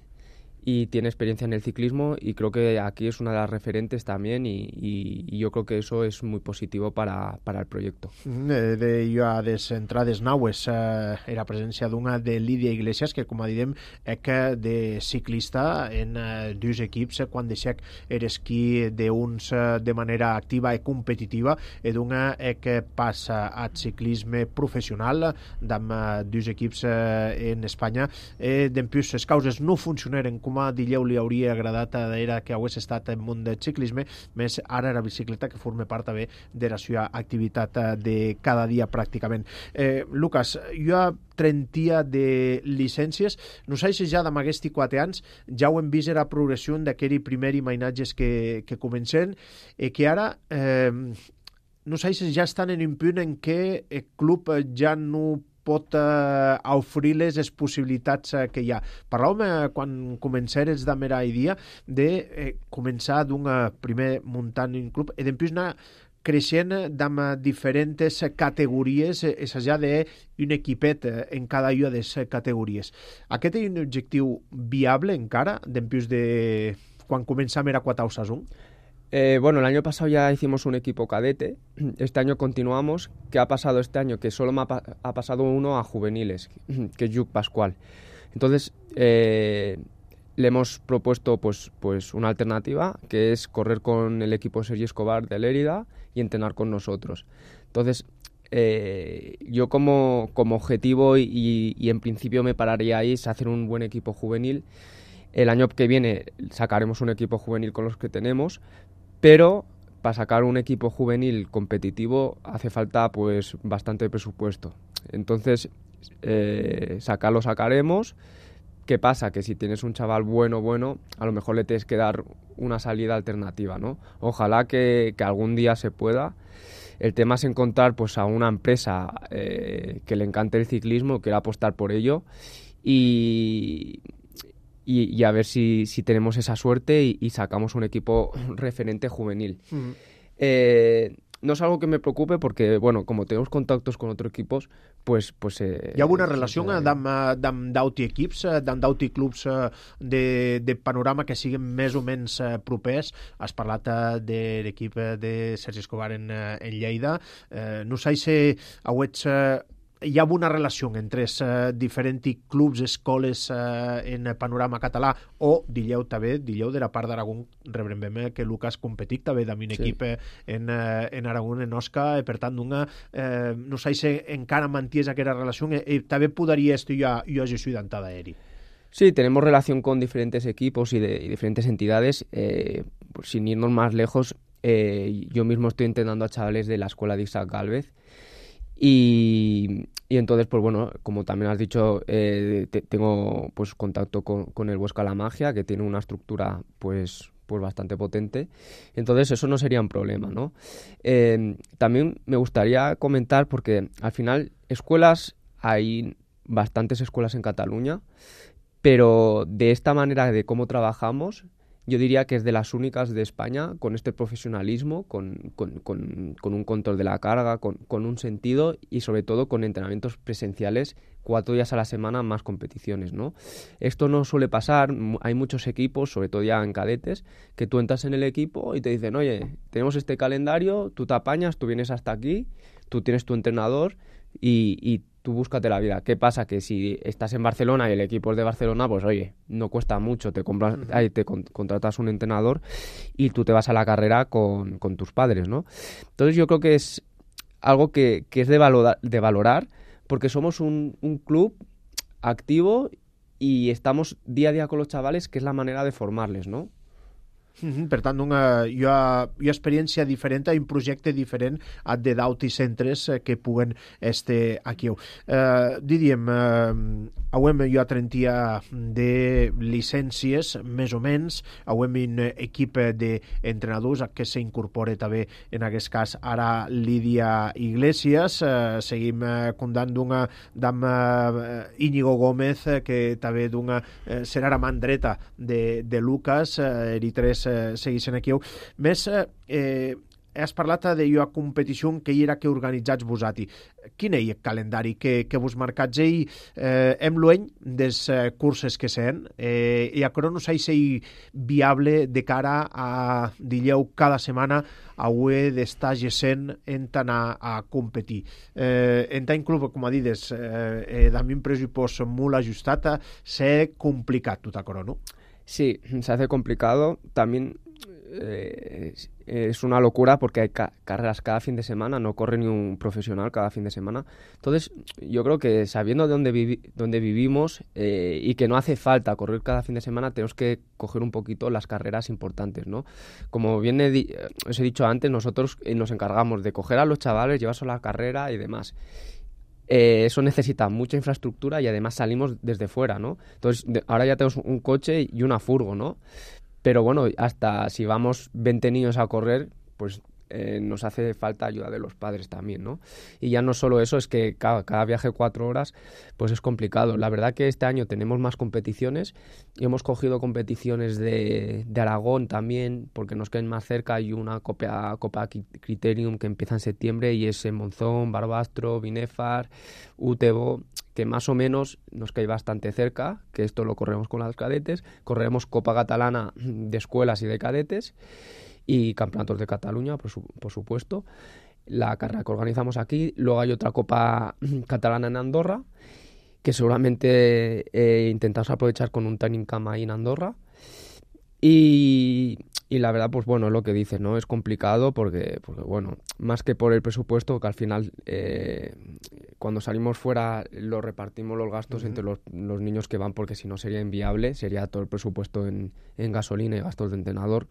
Speaker 10: y tiene experiencia en el ciclismo y creo que aquí es una de las referentes también y, y, y yo creo que eso es muy positivo para, para el proyecto.
Speaker 1: De, de jo a des entrades naues eh, era presència d'una de Lídia Iglesias que com a direm que de ciclista en eh, dos equips quan deixec er esquí d'uns eh, de manera activa i competitiva e d'una eh, que passa al ciclisme professional d'amb eh, dos equips eh, en Espanya e eh, d'empús les causes no funcionaren com a Dilleu li hauria agradat era que hagués estat en món del ciclisme, més ara la bicicleta que forma part també de la seva activitat de cada dia pràcticament. Eh, Lucas, jo a trentia de llicències, no sé si ja d'amb aquests quatre anys ja ho hem vist la progressió d'aquell primer imaginatges que, que comencen i que ara eh, no sé si ja estan en un punt en què el club ja no pot eh, oferir les possibilitats eh, que hi ha. Parlàvem eh, quan començares de mera idea de eh, començar d'un eh, primer muntant un club i després anar creixent amb diferents categories, eh, és a dir, d'un equipet eh, en cada una de les categories. Aquest és un objectiu viable encara, després de quan començam era quatre a un?
Speaker 10: Eh, bueno, el año pasado ya hicimos un equipo cadete, este año continuamos. ¿Qué ha pasado este año? Que solo me ha, pa ha pasado uno a juveniles, que es Lluc Pascual. Entonces, eh, le hemos propuesto pues, pues una alternativa, que es correr con el equipo Sergi Escobar de Lérida y entrenar con nosotros. Entonces, eh, yo como, como objetivo y, y, y en principio me pararía ahí es hacer un buen equipo juvenil. El año que viene sacaremos un equipo juvenil con los que tenemos, pero para sacar un equipo juvenil competitivo hace falta pues bastante presupuesto. Entonces, eh, sacarlo sacaremos. ¿Qué pasa? Que si tienes un chaval bueno, bueno, a lo mejor le tienes que dar una salida alternativa, ¿no? Ojalá que, que algún día se pueda. El tema es encontrar pues a una empresa eh, que le encante el ciclismo, que quiera apostar por ello y... Y, y a ver si, si tenemos esa suerte y, y sacamos un equipo referente juvenil. Uh-huh. Eh, no es algo que me preocupe porque, bueno, como tenemos contactos con otros equipos, pues... pues eh,
Speaker 1: hi ha alguna relació eh, amb d'auti equips, amb d'auti clubs de, de panorama que siguin més o menys propers? Has parlat de l'equip de Sergi Escobar en, en Lleida. Eh, no sé si auets... hi ha una relació entre els uh, diferents clubs, escoles uh, en panorama català o Dilleu també, Dilleu de la part d'Aragó rebrem que Lucas competit també amb un sí. equip en, uh, en Aragó, en Osca, i per tant una, uh, no sé si encara manties aquesta relació i, i també podria estar jo, jo ajudant a Eri.
Speaker 10: Sí, tenemos relación con diferentes equipos y, de, y diferentes entidades. Eh, pues sin irnos más lejos, eh, yo mismo estoy entrenando a chavales de la escuela de Isaac Gálvez. Y, y entonces, pues bueno, como también has dicho, eh, te, tengo pues contacto con, con el Huesca La Magia, que tiene una estructura pues, pues bastante potente. Entonces eso no sería un problema, ¿no? Eh, también me gustaría comentar, porque al final escuelas, hay bastantes escuelas en Cataluña, pero de esta manera de cómo trabajamos, yo diría que es de las únicas de España con este profesionalismo, con, con, con, con un control de la carga, con, con un sentido y sobre todo con entrenamientos presenciales cuatro días a la semana, más competiciones, ¿no? Esto no suele pasar, hay muchos equipos, sobre todo ya en cadetes, que tú entras en el equipo y te dicen, oye, tenemos este calendario, tú te apañas, tú vienes hasta aquí, tú tienes tu entrenador y, y tú búscate la vida. ¿Qué pasa? Que si estás en Barcelona y el equipo es de Barcelona, pues oye, no cuesta mucho, te compras, uh-huh. ahí te con, contratas un entrenador y tú te vas a la carrera con, con tus padres, ¿no? Entonces yo creo que es algo que, que es de valorar, de valorar porque somos un, un club activo y estamos día a día con los chavales, que es la manera de formarles, ¿no?
Speaker 1: Mm-hmm. Per tant, una, hi, ha, hi ha experiència diferent, hi ha un projecte diferent de d'autis centres que puguen estar aquí. Uh, diríem, uh, hauem jo trentia de llicències, més o menys, hauem un equip d'entrenadors que s'incorpora també, en aquest cas, ara Lídia Iglesias. Uh, seguim uh, comptant d'una d'am uh, Íñigo Gómez, que també d'una uh, serà la mà dreta de, de Lucas, uh, i tres segueixen aquí. Més, eh, has parlat de la competició que hi era que organitzats vosati. Quin és el calendari que, que vos marcats ell eh, hem lueny des eh, curses que sent eh, i a crono s'ha ser viable de cara a dilleu cada setmana a UE d'estar gesent en tant a, a competir. Eh, en tant club, com a dides, eh, eh, d'ami un pressupost molt ajustat, s'ha complicat tot a crono.
Speaker 10: Sí, se hace complicado. También eh, es una locura porque hay ca carreras cada fin de semana, no corre ni un profesional cada fin de semana. Entonces, yo creo que sabiendo de dónde, vivi dónde vivimos eh, y que no hace falta correr cada fin de semana, tenemos que coger un poquito las carreras importantes, ¿no? Como bien he os he dicho antes, nosotros eh, nos encargamos de coger a los chavales, llevarse a la carrera y demás. Eh, eso necesita mucha infraestructura y además salimos desde fuera, ¿no? Entonces, de, ahora ya tenemos un coche y una furgo, ¿no? Pero bueno, hasta si vamos veinte niños a correr, pues eh, nos hace falta ayuda de los padres también, ¿no? Y ya no solo eso, es que cada, cada viaje cuatro horas, pues es complicado. La verdad que este año tenemos más competiciones y hemos cogido competiciones de, de Aragón también, porque nos quedan más cerca. Hay una Copa, Copa Criterium que empieza en septiembre y es en Monzón, Barbastro, Binefar, Utebo, que más o menos nos cae bastante cerca, que esto lo corremos con las cadetes. Correremos Copa Catalana de escuelas y de cadetes y campeonatos de Cataluña, por, su, por supuesto. La carrera que organizamos aquí. Luego hay otra Copa Catalana en Andorra, que seguramente eh, intentamos aprovechar con un training camp ahí en Andorra. Y, y la verdad, pues bueno, es lo que dices, ¿no? Es complicado porque, porque bueno, más que por el presupuesto, que al final eh, cuando salimos fuera lo repartimos los gastos uh-huh. entre los, los niños que van, porque si no sería inviable, sería todo el presupuesto en, en gasolina y gastos de entrenador.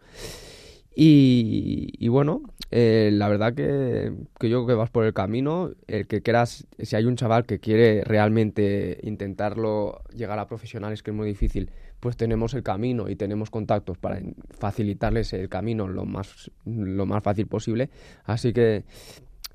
Speaker 10: Y, y bueno, eh, la verdad que, que yo creo que vas por el camino. El que quieras, si hay un chaval que quiere realmente intentarlo llegar a profesionales, que es muy difícil, pues tenemos el camino y tenemos contactos para facilitarles el camino lo más, lo más fácil posible. Así que,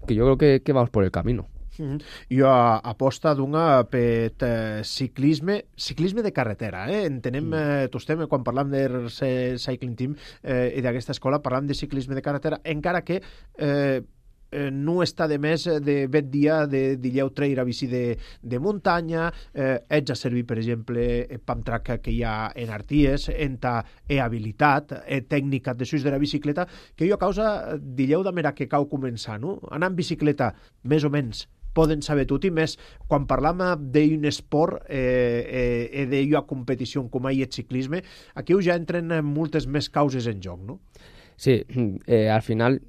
Speaker 10: que yo creo que, que vamos por el camino.
Speaker 1: Mm-hmm. Jo aposta d'una per eh, ciclisme, ciclisme de carretera, eh? Entenem, eh, tu estem, quan parlam del Cycling Team eh, i d'aquesta escola, parlam de ciclisme de carretera, encara que eh, eh, no està de més de vet dia de dilleu trair a bici de, de muntanya, eh, ets a servir, per exemple, el pump track que hi ha en Arties, en ta e habilitat, e tècnica de suïs de la bicicleta, que jo a causa dilleu de mera que cau començar, no? Anar en bicicleta, més o menys, poden saber tot i més. Quan parlam d'un esport eh, eh, d'una competició com és el ciclisme, aquí ja entren moltes més causes en joc, ¿no?
Speaker 10: Sí, eh, al final,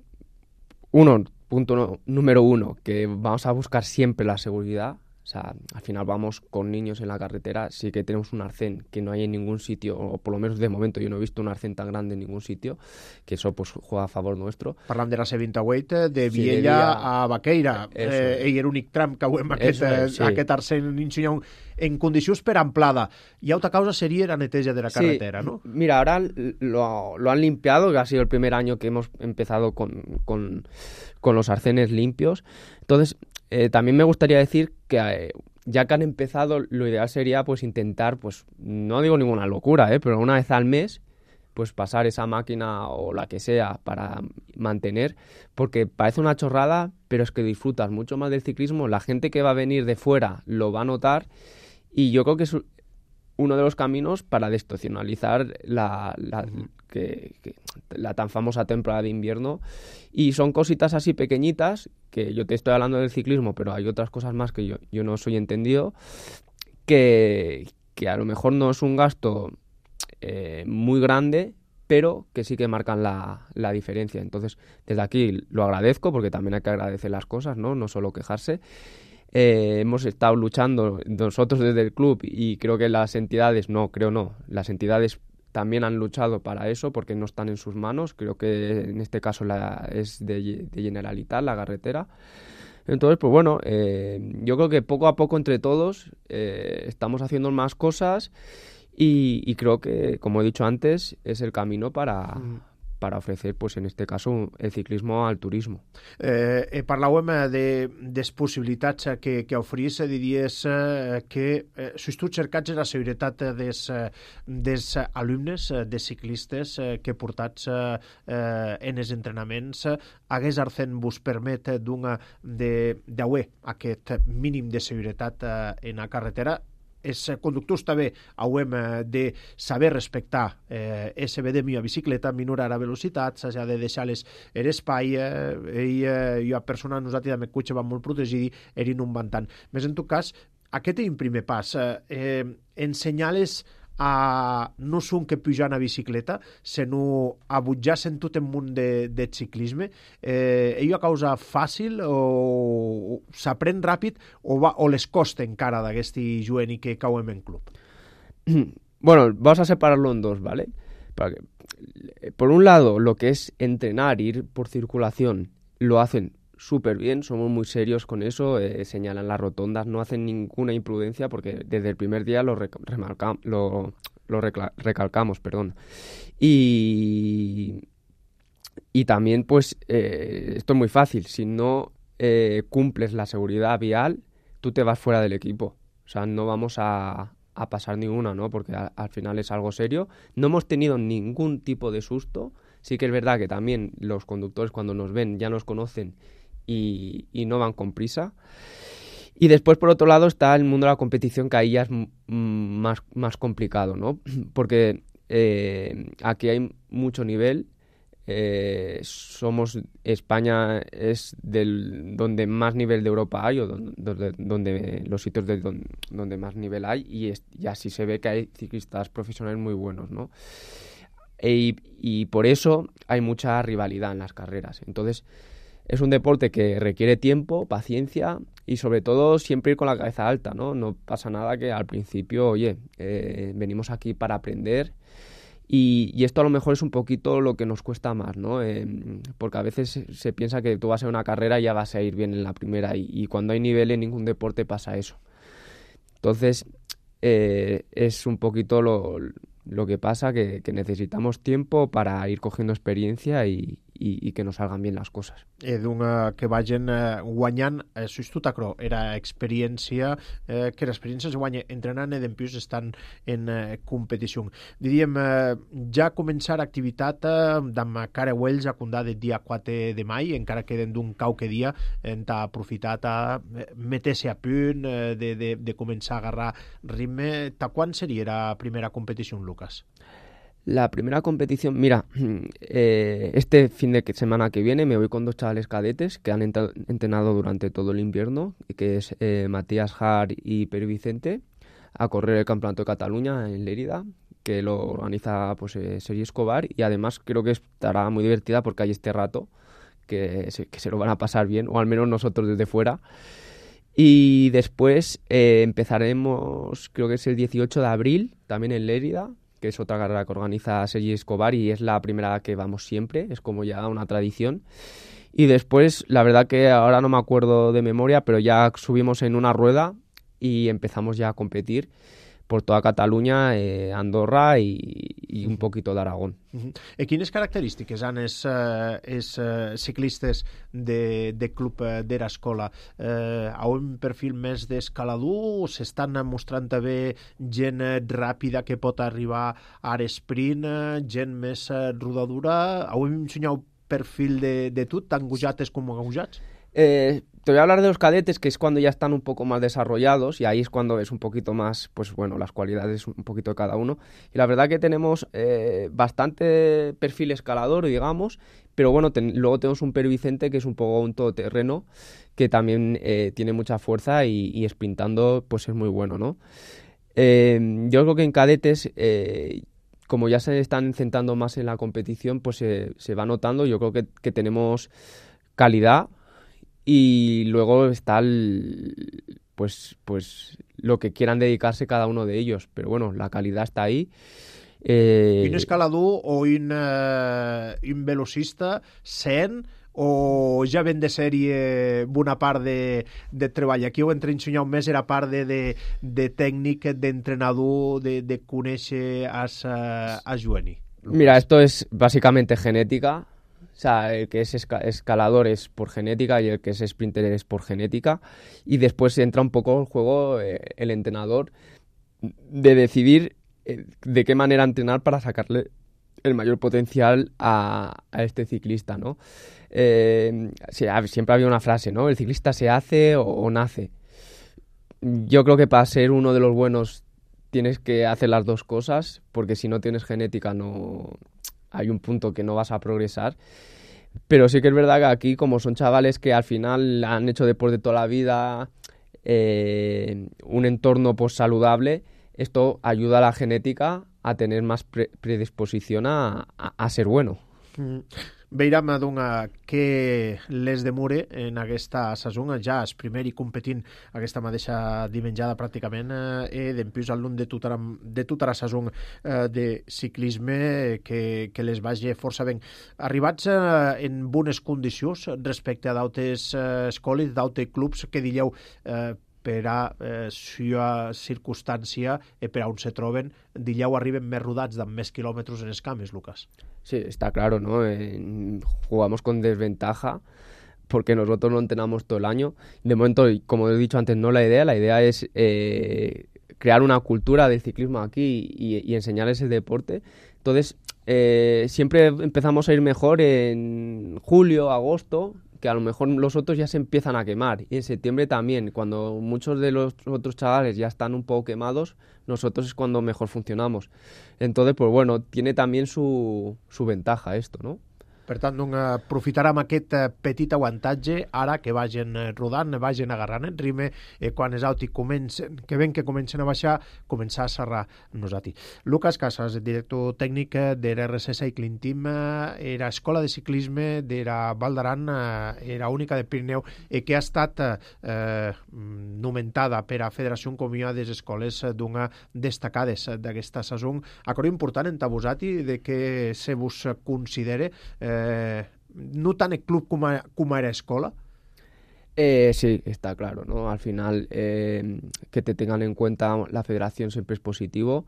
Speaker 10: uno, punto no, número uno, que vamos a buscar siempre la seguridad. O sea, al final vamos con niños en la carretera, sí que tenemos un arcén que no hay en ningún sitio, o por lo menos de momento yo no he visto un arcén tan grande en ningún sitio, que eso pues juega a favor nuestro.
Speaker 1: Parlam de la C vint-i-vuit, de Viella sí, de a Baqueira, eh, i era l'únic tram que veiem aquest, és, sí. aquest arcén en condicions per amplada. Y otra causa sería la neteja de la carretera, sí, ¿no?
Speaker 10: Mira, ahora lo, lo han limpiado, que ha sido el primer año que hemos empezado con, con, con los arcenes limpios. Entonces, Eh, también me gustaría decir que eh, ya que han empezado, lo ideal sería pues intentar, pues no digo ninguna locura, eh, pero una vez al mes pues pasar esa máquina o la que sea para mantener, porque parece una chorrada, pero es que disfrutas mucho más del ciclismo, la gente que va a venir de fuera lo va a notar y yo creo que es uno de los caminos para desestacionalizar la, la, que, que, la tan famosa temporada de invierno. Y son cositas así pequeñitas, que yo te estoy hablando del ciclismo, pero hay otras cosas más que yo, yo no soy entendido, que, que a lo mejor no es un gasto eh, muy grande, pero que sí que marcan la, la diferencia. Entonces, desde aquí lo agradezco, porque también hay que agradecer las cosas, ¿no? No solo quejarse. Eh, hemos estado luchando nosotros desde el club y creo que las entidades, no, creo no, las entidades también han luchado para eso porque no están en sus manos. Creo que en este caso la, es de, de Generalitat, la carretera. Entonces, pues bueno, eh, yo creo que poco a poco entre todos eh, estamos haciendo más cosas y, y creo que, como he dicho antes, es el camino para, para ofrecer, pues en este caso, el ciclismo al turismo.
Speaker 1: Eh, eh, parlàvem de, de les possibilitats que, que ofrís, diries eh, que eh, sois tu cercats la seguretat dels, dels alumnes, de ciclistes eh, que portats eh, en els entrenaments, hagués arcent vos permet d'una d'haver aquest mínim de seguretat eh, en la carretera. Els conductors també hauem de saber respectar eh, ese vedemio a bicicleta, minorar la velocitat, s'ha de deixar l'espai, eh, i eh, jo a persona, nosaltres amb el cotxe vam molt protegit, erin un bantant. Més en tot cas, aquest és un primer pas. Eh, ensenyar-les a no són que pujar a bicicleta, sinó a butjar-se en tot el món de, de ciclisme. Eh, és una causa fàcil o s'aprèn ràpid o, va, o les costa encara d'aquest jovent i que cauem en club?
Speaker 10: Bueno, vamos a separarlo en dos, ¿vale? Para que, por un lado, lo que es entrenar, ir por circulación, lo hacen súper bien, somos muy serios con eso, eh, señalan las rotondas, no hacen ninguna imprudencia porque desde el primer día lo, remarca, lo, lo recla, recalcamos, perdón. Y, y también, pues, eh, esto es muy fácil, si no eh, cumples la seguridad vial, tú te vas fuera del equipo, o sea, no vamos a, a pasar ni una, ¿no? Porque a, al final es algo serio. No hemos tenido ningún tipo de susto, sí que es verdad que también los conductores cuando nos ven ya nos conocen Y, y no van con prisa. Y después, por otro lado, está el mundo de la competición, que ahí ya es m- más, más complicado, ¿no? Porque eh, aquí hay mucho nivel. Eh, somos España es del donde más nivel de Europa hay, o donde, donde, donde los sitios de donde, donde más nivel hay, y, es, y así se ve que hay ciclistas profesionales muy buenos, ¿no? E, y por eso hay mucha rivalidad en las carreras. Entonces, es un deporte que requiere tiempo, paciencia y sobre todo siempre ir con la cabeza alta, ¿no? No pasa nada que al principio, oye, eh, venimos aquí para aprender y, y esto a lo mejor es un poquito lo que nos cuesta más, ¿no? Eh, porque a veces se, se piensa que tú vas a una carrera y ya vas a ir bien en la primera y, y cuando hay nivel en ningún deporte pasa eso. Entonces, eh, es un poquito lo, lo que pasa, que, que necesitamos tiempo para ir cogiendo experiencia y, i, i que no salgan bien les coses.
Speaker 1: Eh, d'un, que vagin eh, guanyant, eh, sois tu tacro, era experiència, eh, que l'experiència es guanya entrenant i dempius estan en eh, competició. Diríem, eh, ja començar activitat eh, d'amb Careuells a Condà del dia quatre de mai, encara queden d'un qualque dia, hem aprofitat a meter-se a punt, eh, de, de, de començar a agarrar ritme. Ta quan seria la primera competició, Lucas?
Speaker 10: La primera competición, mira, eh, este fin de semana que viene me voy con dos chavales cadetes que han ent- entrenado durante todo el invierno, que es eh, Matías Har y Pere Vicente, a correr el Campeonato de Cataluña en Lérida, que lo organiza pues eh, Sergi Escobar, y además creo que estará muy divertida porque hay este rato que se, que se lo van a pasar bien, o al menos nosotros desde fuera. Y después eh, empezaremos, creo que es el dieciocho de abril, también en Lérida, que es otra carrera que organiza Sergi Escobar y es la primera que vamos siempre, es como ya una tradición. Y después, la verdad que ahora no me acuerdo de memoria, pero ya subimos en una rueda y empezamos ya a competir por toda Catalunya, eh, Andorra i, i un poquito d'Aragón.
Speaker 1: Uh-huh. I quines característiques han els, eh, els eh, ciclistes de, de club eh, d'Erascola? Eh, ha un perfil més d'escalador o s'estan mostrant també gent eh, ràpida que pot arribar a l'esprint, eh, gent més eh, rodadura? Heu ensenyat un perfil de, de tot, tan gojates com agujats?
Speaker 10: Eh, te voy a hablar de los cadetes, que es cuando ya están un poco más desarrollados y ahí es cuando ves un poquito más, pues bueno, las cualidades un poquito de cada uno. Y la verdad que tenemos eh, bastante perfil escalador, digamos, pero bueno, ten, luego tenemos un Pere Vicente que es un poco un todoterreno, que también eh, tiene mucha fuerza y, y sprintando pues es muy bueno, ¿no? Eh, yo creo que en cadetes... Eh, como ya se están centrando más en la competición, pues eh, se va notando. Yo creo que, que tenemos calidad y luego está el, pues, pues lo que quieran dedicarse cada uno de ellos. Pero bueno, la calidad está ahí.
Speaker 1: Eh... Un escalador o un, uh, un velocista sent o ja ven de sèrie una part de, de treball? Aquí ho entre ensenyat més era part de, de, de tècnic, d'entrenador, de, de conèixer a, a Joani.
Speaker 10: Mira, esto es básicamente genética. O sea, el que es esca- escalador es por genética y el que es sprinter es por genética. Y después entra un poco en juego eh, el entrenador de decidir eh, de qué manera entrenar para sacarle el mayor potencial a, a este ciclista, ¿no? Eh, sí, siempre había una frase, ¿no? El ciclista se hace o, o nace. Yo creo que para ser uno de los buenos tienes que hacer las dos cosas, porque si no tienes genética no hay un punto que no vas a progresar. Pero sí que es verdad que aquí, como son chavales que al final han hecho deporte toda la vida, eh, un entorno pues saludable, esto ayuda a la genética a tener más pre- predisposición a, a, a ser bueno.
Speaker 1: Mm. Veiem doncs, que les de Mure en aquesta saison ja és primer i competint aquesta mateixa dimenjada pràcticament eh, d'empús al lluny de tota, de tota la saison eh, de ciclisme que, que les vagi força ben. Arribats eh, en bones condicions respecte a d'altres eh, escoles, d'altres clubs que diríeu eh, per a eh, sua circunstància i per a on se troben, diríeu arriben més rodats amb més quilòmetres en els cames, Lucas.
Speaker 10: Sí, está claro, ¿no? Eh, jugamos con desventaja porque nosotros no entrenamos todo el año. De momento, como he dicho antes, no la idea. La idea es eh, crear una cultura del ciclismo aquí y, y enseñar ese deporte. Entonces, eh, siempre empezamos a ir mejor en julio, agosto, que a lo mejor los otros ya se empiezan a quemar. Y en septiembre también, cuando muchos de los otros chavales ya están un poco quemados, nosotros es cuando mejor funcionamos. Entonces, pues bueno, tiene también su, su ventaja esto, ¿no?
Speaker 1: Per tant, doncs, aprofitarem aquest petit avantatge ara que vagin rodant, vagin agarrant el ritme, eh, quan els altres comencen, que ven que comencen a baixar, començar a serrar nosaltres. Lucas Casas, director tècnic de l'R C Cycling Team, era escola de ciclisme de la Val d'Aran, era única de Pirineu, eh, que ha estat eh, nomentada per a Federació com una de les escoles d'una destacades d'aquesta saison. Acord important en Tabusati de que se vos considere eh, Eh, no tan el club como, como era escola.
Speaker 10: Eh, sí, está claro, ¿no? Al final, eh, que te tengan en cuenta la federación siempre es positivo.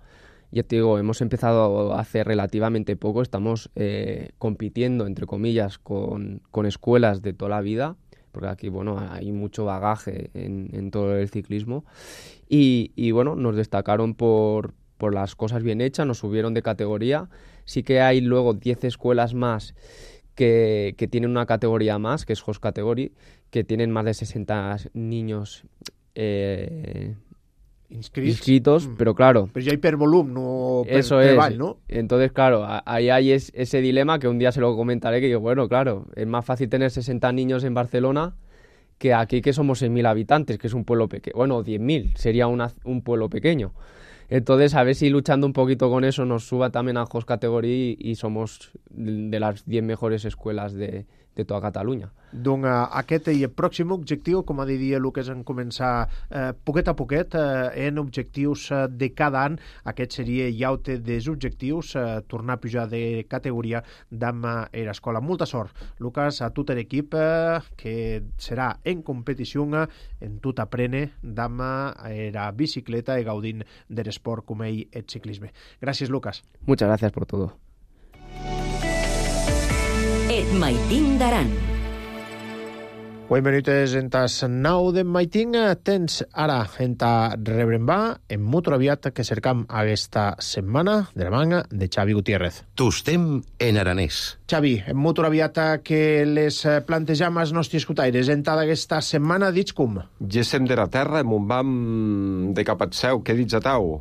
Speaker 10: Ya te digo, hemos empezado hace relativamente poco, estamos eh, compitiendo, entre comillas, con, con escuelas de toda la vida, porque aquí, bueno, hay mucho bagaje en, en todo el ciclismo. Y, y bueno, nos destacaron por, por las cosas bien hechas, nos subieron de categoría. Sí que hay luego diez escuelas más que, que tienen una categoría más, que es Host Category, que tienen más de sesenta niños eh,
Speaker 1: inscrits,
Speaker 10: inscritos, mm. pero claro...
Speaker 1: Pero ya hay per volum, no per
Speaker 10: eso
Speaker 1: treball,
Speaker 10: es.
Speaker 1: ¿no?
Speaker 10: Entonces, claro, ahí hay es, ese dilema que un día se lo comentaré, que digo, bueno, claro, es más fácil tener sesenta niños en Barcelona que aquí que somos seis mil habitantes, que es un pueblo pequeño. Bueno, diez mil, sería una, un pueblo pequeño. Entonces, a ver si luchando un poquito con eso nos suba también a Host Category y somos de las diez mejores escuelas de, de tota Catalunya.
Speaker 1: Doncs aquest i el pròxim objectiu, com ha dit Lucas, en començar eh, poquet a poquet eh, en objectius eh, de cada any. Aquest seria ja dels objectius, eh, tornar a pujar de categoria d'am a l'escola. Molta sort, Lucas, a tot l'equip eh, que serà en competició en tot aprene d'am a la bicicleta i gaudint de l'esport com ell el ciclisme. Gràcies, Lucas.
Speaker 10: Muchas gracias por todo.
Speaker 2: Et Maiting d'Aran.
Speaker 1: Vuit minuts en tas nou de Maiting. Tens ara en ta rebrembar en Motor Aviat que cercam aquesta setmana de la manga de Xavi Gutiérrez.
Speaker 11: Tostem en aranès.
Speaker 1: Xavi, en Motor Aviat que les plantejam als nostres escutaires en ta d'aquesta setmana, dits com?
Speaker 12: Gessem de la terra, mon vam de cap al seu, què dits a tau?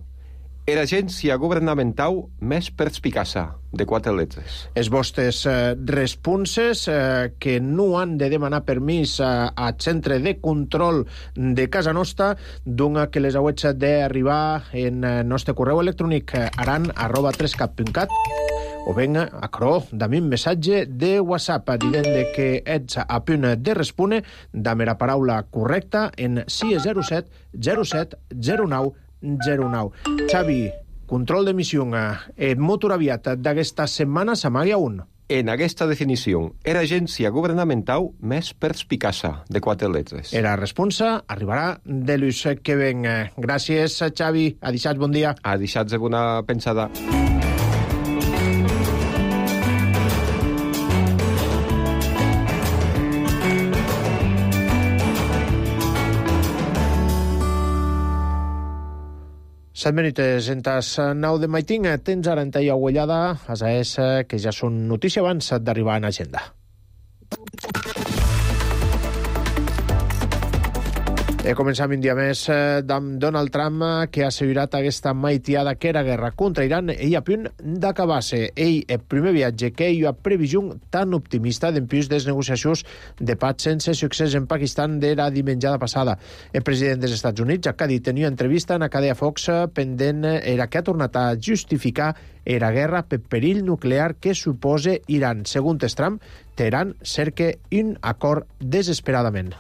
Speaker 12: Era agència governamental més perspicaça, de quatre letres.
Speaker 1: Els vostres eh, responses eh, que no han de demanar permís eh, al centre de control de casa nostra, doncs que les hauets d'arribar en el nostre correu electrònic aran arroba trescat punt cat o venga a cro dame un missatge de WhatsApp dient que ets a punt de respondre dame la paraula correcta en sis zero set zero set zero nou zero nou. Xavi, control d'emissió en Motor Aviat d'aquesta setmana s'amaga un.
Speaker 12: En aquesta definició, era agència governamental més perspicaça, de quatre letres.
Speaker 1: Era responsa, arribarà de l'ús que ven. Gràcies, Xavi. A dissabte, bon dia.
Speaker 12: A dissabte, bona pensada.
Speaker 1: Set minuts en tas nou de maiting. Tens ara en taia uellada, a és que ja són notícia abans d'arribar en agenda. E començam un dia més amb Donald Trump, que ha assegurat aquesta maitiada que era guerra contra Iran i a punt d'acabar-se. Ell, el primer viatge que ell ha previst tan optimista d'empius des negociacions de paz sense succés en Pakistan d'era dimenjada passada. El president dels Estats Units ha dit tenia entrevista en la cadena Fox pendent era que ha tornat a justificar era guerra per perill nuclear que suposa Iran. Segons Trump, Teheran cerca un acord desesperadament.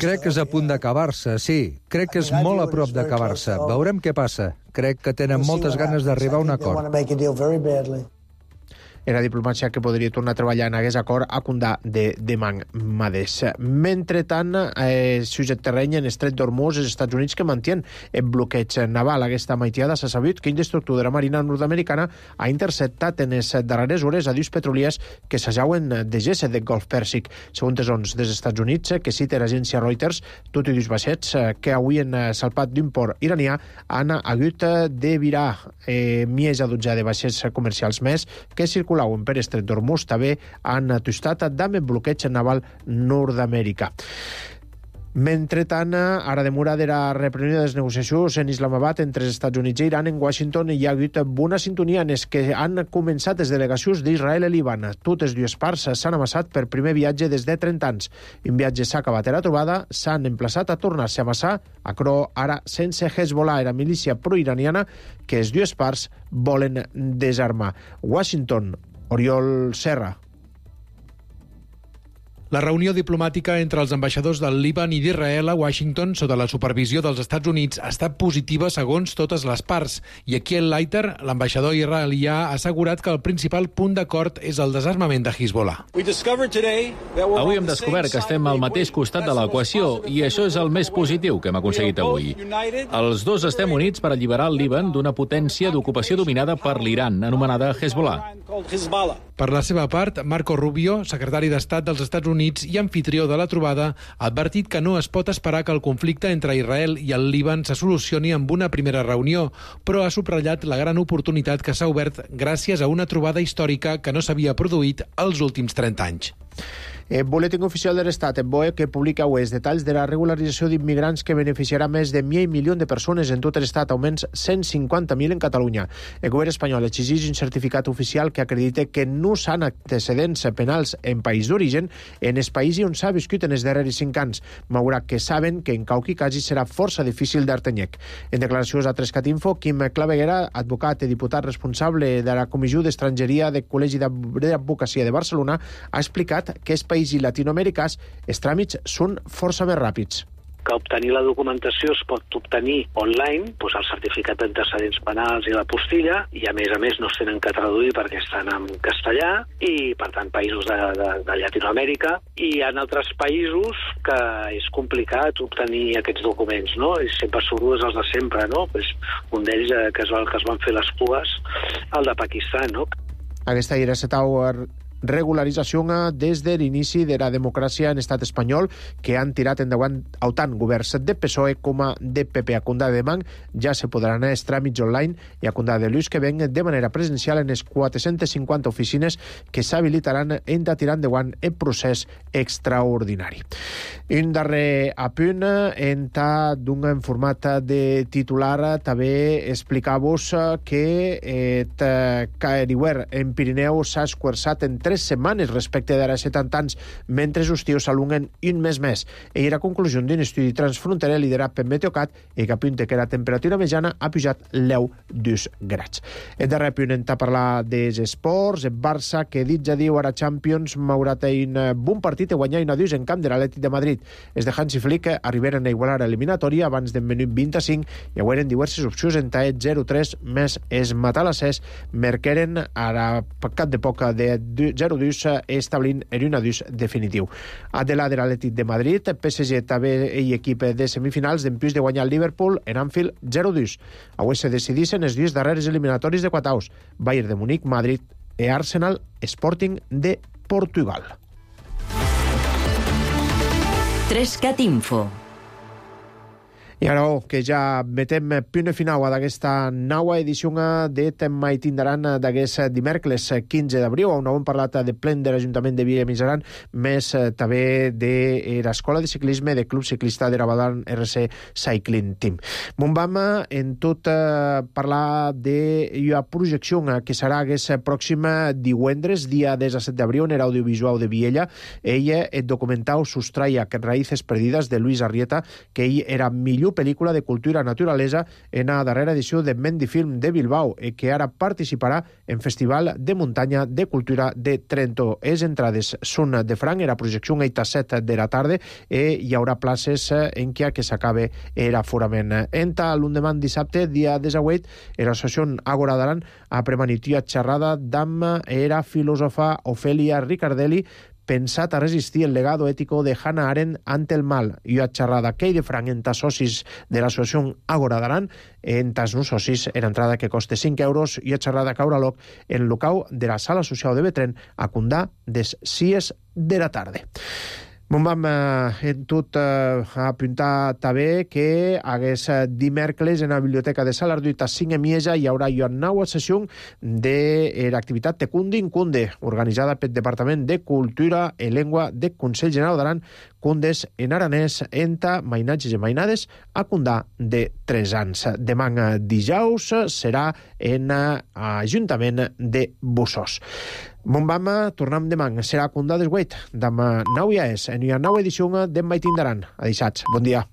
Speaker 13: Crec que és a punt d'acabar-se, sí. Crec que és molt a prop d'acabar-se. Veurem què passa. Crec que tenen moltes ganes d'arribar a un acord.
Speaker 1: Era diplomàcia que podria tornar a treballar en aquest acord a Condà de Demandés. Mentretant, eh, sujet terreny en estret d'Hormuz, els Estats Units que mantien el bloqueig naval. Aquesta maitiada s'ha sabut que un destructor de la Marina nord-americana ha interceptat en les darreres hores a dius petroliers que s'ajauen de gessa del Golf Pèrsic. Segons les ons dels Estats Units, que cita l'agència Reuters, tot i dius vaixets que avui han salpat d'un port iranià han hagut de virar eh, més a dotze de vaixets comercials més que circulaven per estret d'Hormuz també han atustat amb el bloqueig naval nord-americà. Mentretant, ara demora de la reprenió de les negociacions en Islamabad entre els Estats Units i Iran, en Washington hi ha hagut bona sintonia en els que han començat les delegacions d'Israel i Líban. Totes dues parts s'han amassat per primer viatge des de trenta anys. Un viatge s'ha acabat a la trobada, s'han emplaçat a tornar-se a amassar, a cro ara sense Hezbollah, era milícia proiraniana que les dues parts volen desarmar. Washington, Oriol Serra.
Speaker 14: La reunió diplomàtica entre els ambaixadors del Líban i d'Israel a Washington sota la supervisió dels Estats Units ha estat positiva segons totes les parts. I aquí el Leiter, l'ambaixador israelià, ha assegurat que el principal punt d'acord és el desarmament de Hezbollah.
Speaker 15: Avui hem descobert que estem al mateix costat de l'equació i això és el més positiu que hem aconseguit avui. Els dos estem units per alliberar el Líban d'una potència d'ocupació dominada per l'Iran, anomenada Hezbollah.
Speaker 14: Per la seva part, Marco Rubio, secretari d'Estat dels Estats Units i anfitrió de la trobada, ha advertit que no es pot esperar que el conflicte entre Israel i el Líban se solucioni amb una primera reunió, però ha subratllat la gran oportunitat que s'ha obert gràcies a una trobada històrica que no s'havia produït els últims trenta anys.
Speaker 1: El Boletín Oficial de l'Estat, el B O E, que publica avui els detalls de la regularització d'immigrants que beneficiarà més de mig milió de persones en tot l'Estat, augments cent cinquanta mil en Catalunya. El govern espanyol exigeix un certificat oficial que acredite que no s'han antecedents penals en país d'origen en el país on s'ha viscut en els darrers cinc anys, malgrat que saben que en qualque cas serà força difícil d'Artenyec. En declaracions a Trescat Info, Quim Claveguera, advocat i diputat responsable de la Comissió d'Estrangeria del Col·legi d'Advocacia de Barcelona, ha explicat que els països i latinoamericans els tràmits són força més ràpids.
Speaker 16: Que obtenir la documentació es pot obtenir online, doncs el certificat d'antecedents penals i la postilla, i a més a més no es tenen que traduir perquè estan en castellà, i per tant països de, de, de Llatinoamèrica, i hi ha altres països que és complicat obtenir aquests documents, no? I sempre surt els de sempre, no? Pues un d'ells eh, que, es van, que es van fer les cues, el de Pakistan, no?
Speaker 1: Aquesta era la regularització des de l'inici de la democràcia en estat espanyol que han tirat endavant tant governs de P S O E com a de P P. A Condà de Demang ja se podran anar els tràmits online i a Condà de Lluís que ven de manera presencial en les quatre-centes cinquanta oficines que s'habilitaran en de tirar endavant el procés extraordinari. Un darrer apunt en d'un format de titular també explicar-vos que eh, Caeriwer en Pirineu s'ha esquarçat en tres setmanes respecte d'ara setanta anys, mentre els estius s'alunguen un mes més. I la conclusió d'un estudi transfronterer liderat per Meteocat i que apunta que la temperatura mitjana ha pujat l'eu dos graus. El darrer punt en parlar dels esports, el Barça, que dit ja diu ara Champions, m'haurà un bon partit a guanyar una dos en camp de l'Atlètic de Madrid. Els de Hansi Flick arribaren a igualar l'eliminatòria abans del minut vint-i-cinc i hagueren diverses opcions en taet zero tres més es Matalassès, merqueren ara cap de poc de zero dos establint en un adús definitiu. Adela de l'Atlètic de Madrid, P S G també i equip de semifinals d'empius de guanyar el Liverpool en Anfield zero dos. Avui se decidissin els dies darreres eliminatoris de Quataus, Bayern de Múnich, Madrid i Arsenal Sporting de Portugal.
Speaker 2: Trescat Info.
Speaker 1: I ara oh, que ja metem punt final d'aquesta nova edició de Temma i Tindaran d'aquest dimecres quinze d'abril, on hem parlat de plen de l'Ajuntament de Villa Miseran, més també de l'Escola de Ciclisme de Club Ciclista de Rabadán R C Cycling Team. Mon vam en tot eh, parlar de la projecció que serà aquest pròxim divendres, dia disset d'abril, en l'audiovisual de Viella. Ella et documentau Sustraia, Raíces Perdidas, de Luis Arrieta, que ell era millor pel·lícula de cultura naturalesa en la darrera edició de Mendifilm de Bilbao, i que ara participarà en Festival de Muntanya de Cultura de Trento. Les entrades són de franc, la projecció a les set de la tarda, i hi haurà places en què que s'acabe l'aforament. Enta l'endemà dissabte, dia disset, l'associació Agora d'Aran ha premanitia xerrada amb la filòsofa Ofelia Ricardelli, pensat a resistir el legado ético de Hannah Arendt ante el mal. I a xerrada que hi de franc en tas socis de l'associació Agora d'Aran, en tas no socis, en entrada que costa cinc euros, i a xerrada caura loc en locau de la Sala Social de Betren a Condà des sis de la tarda. Bon vam eh, en tot eh, apuntar també que aquest dimecres en la Biblioteca de Salarduit a cinc a Mieja hi haurà una nova sessió de l'activitat Tecundin Cunde, organitzada pel Departament de Cultura i Llengua de Consell General d'Aran, Cundes en aranès, enta mainatges i mainades a Condà de tres anys. Demà dijous serà en l'Ajuntament de Bussos. Mon vam tornem demà, serà a Condà des vuit, demà nou ja és, en una nova edició d'en Mai Tindaran. Adeixats, bon dia.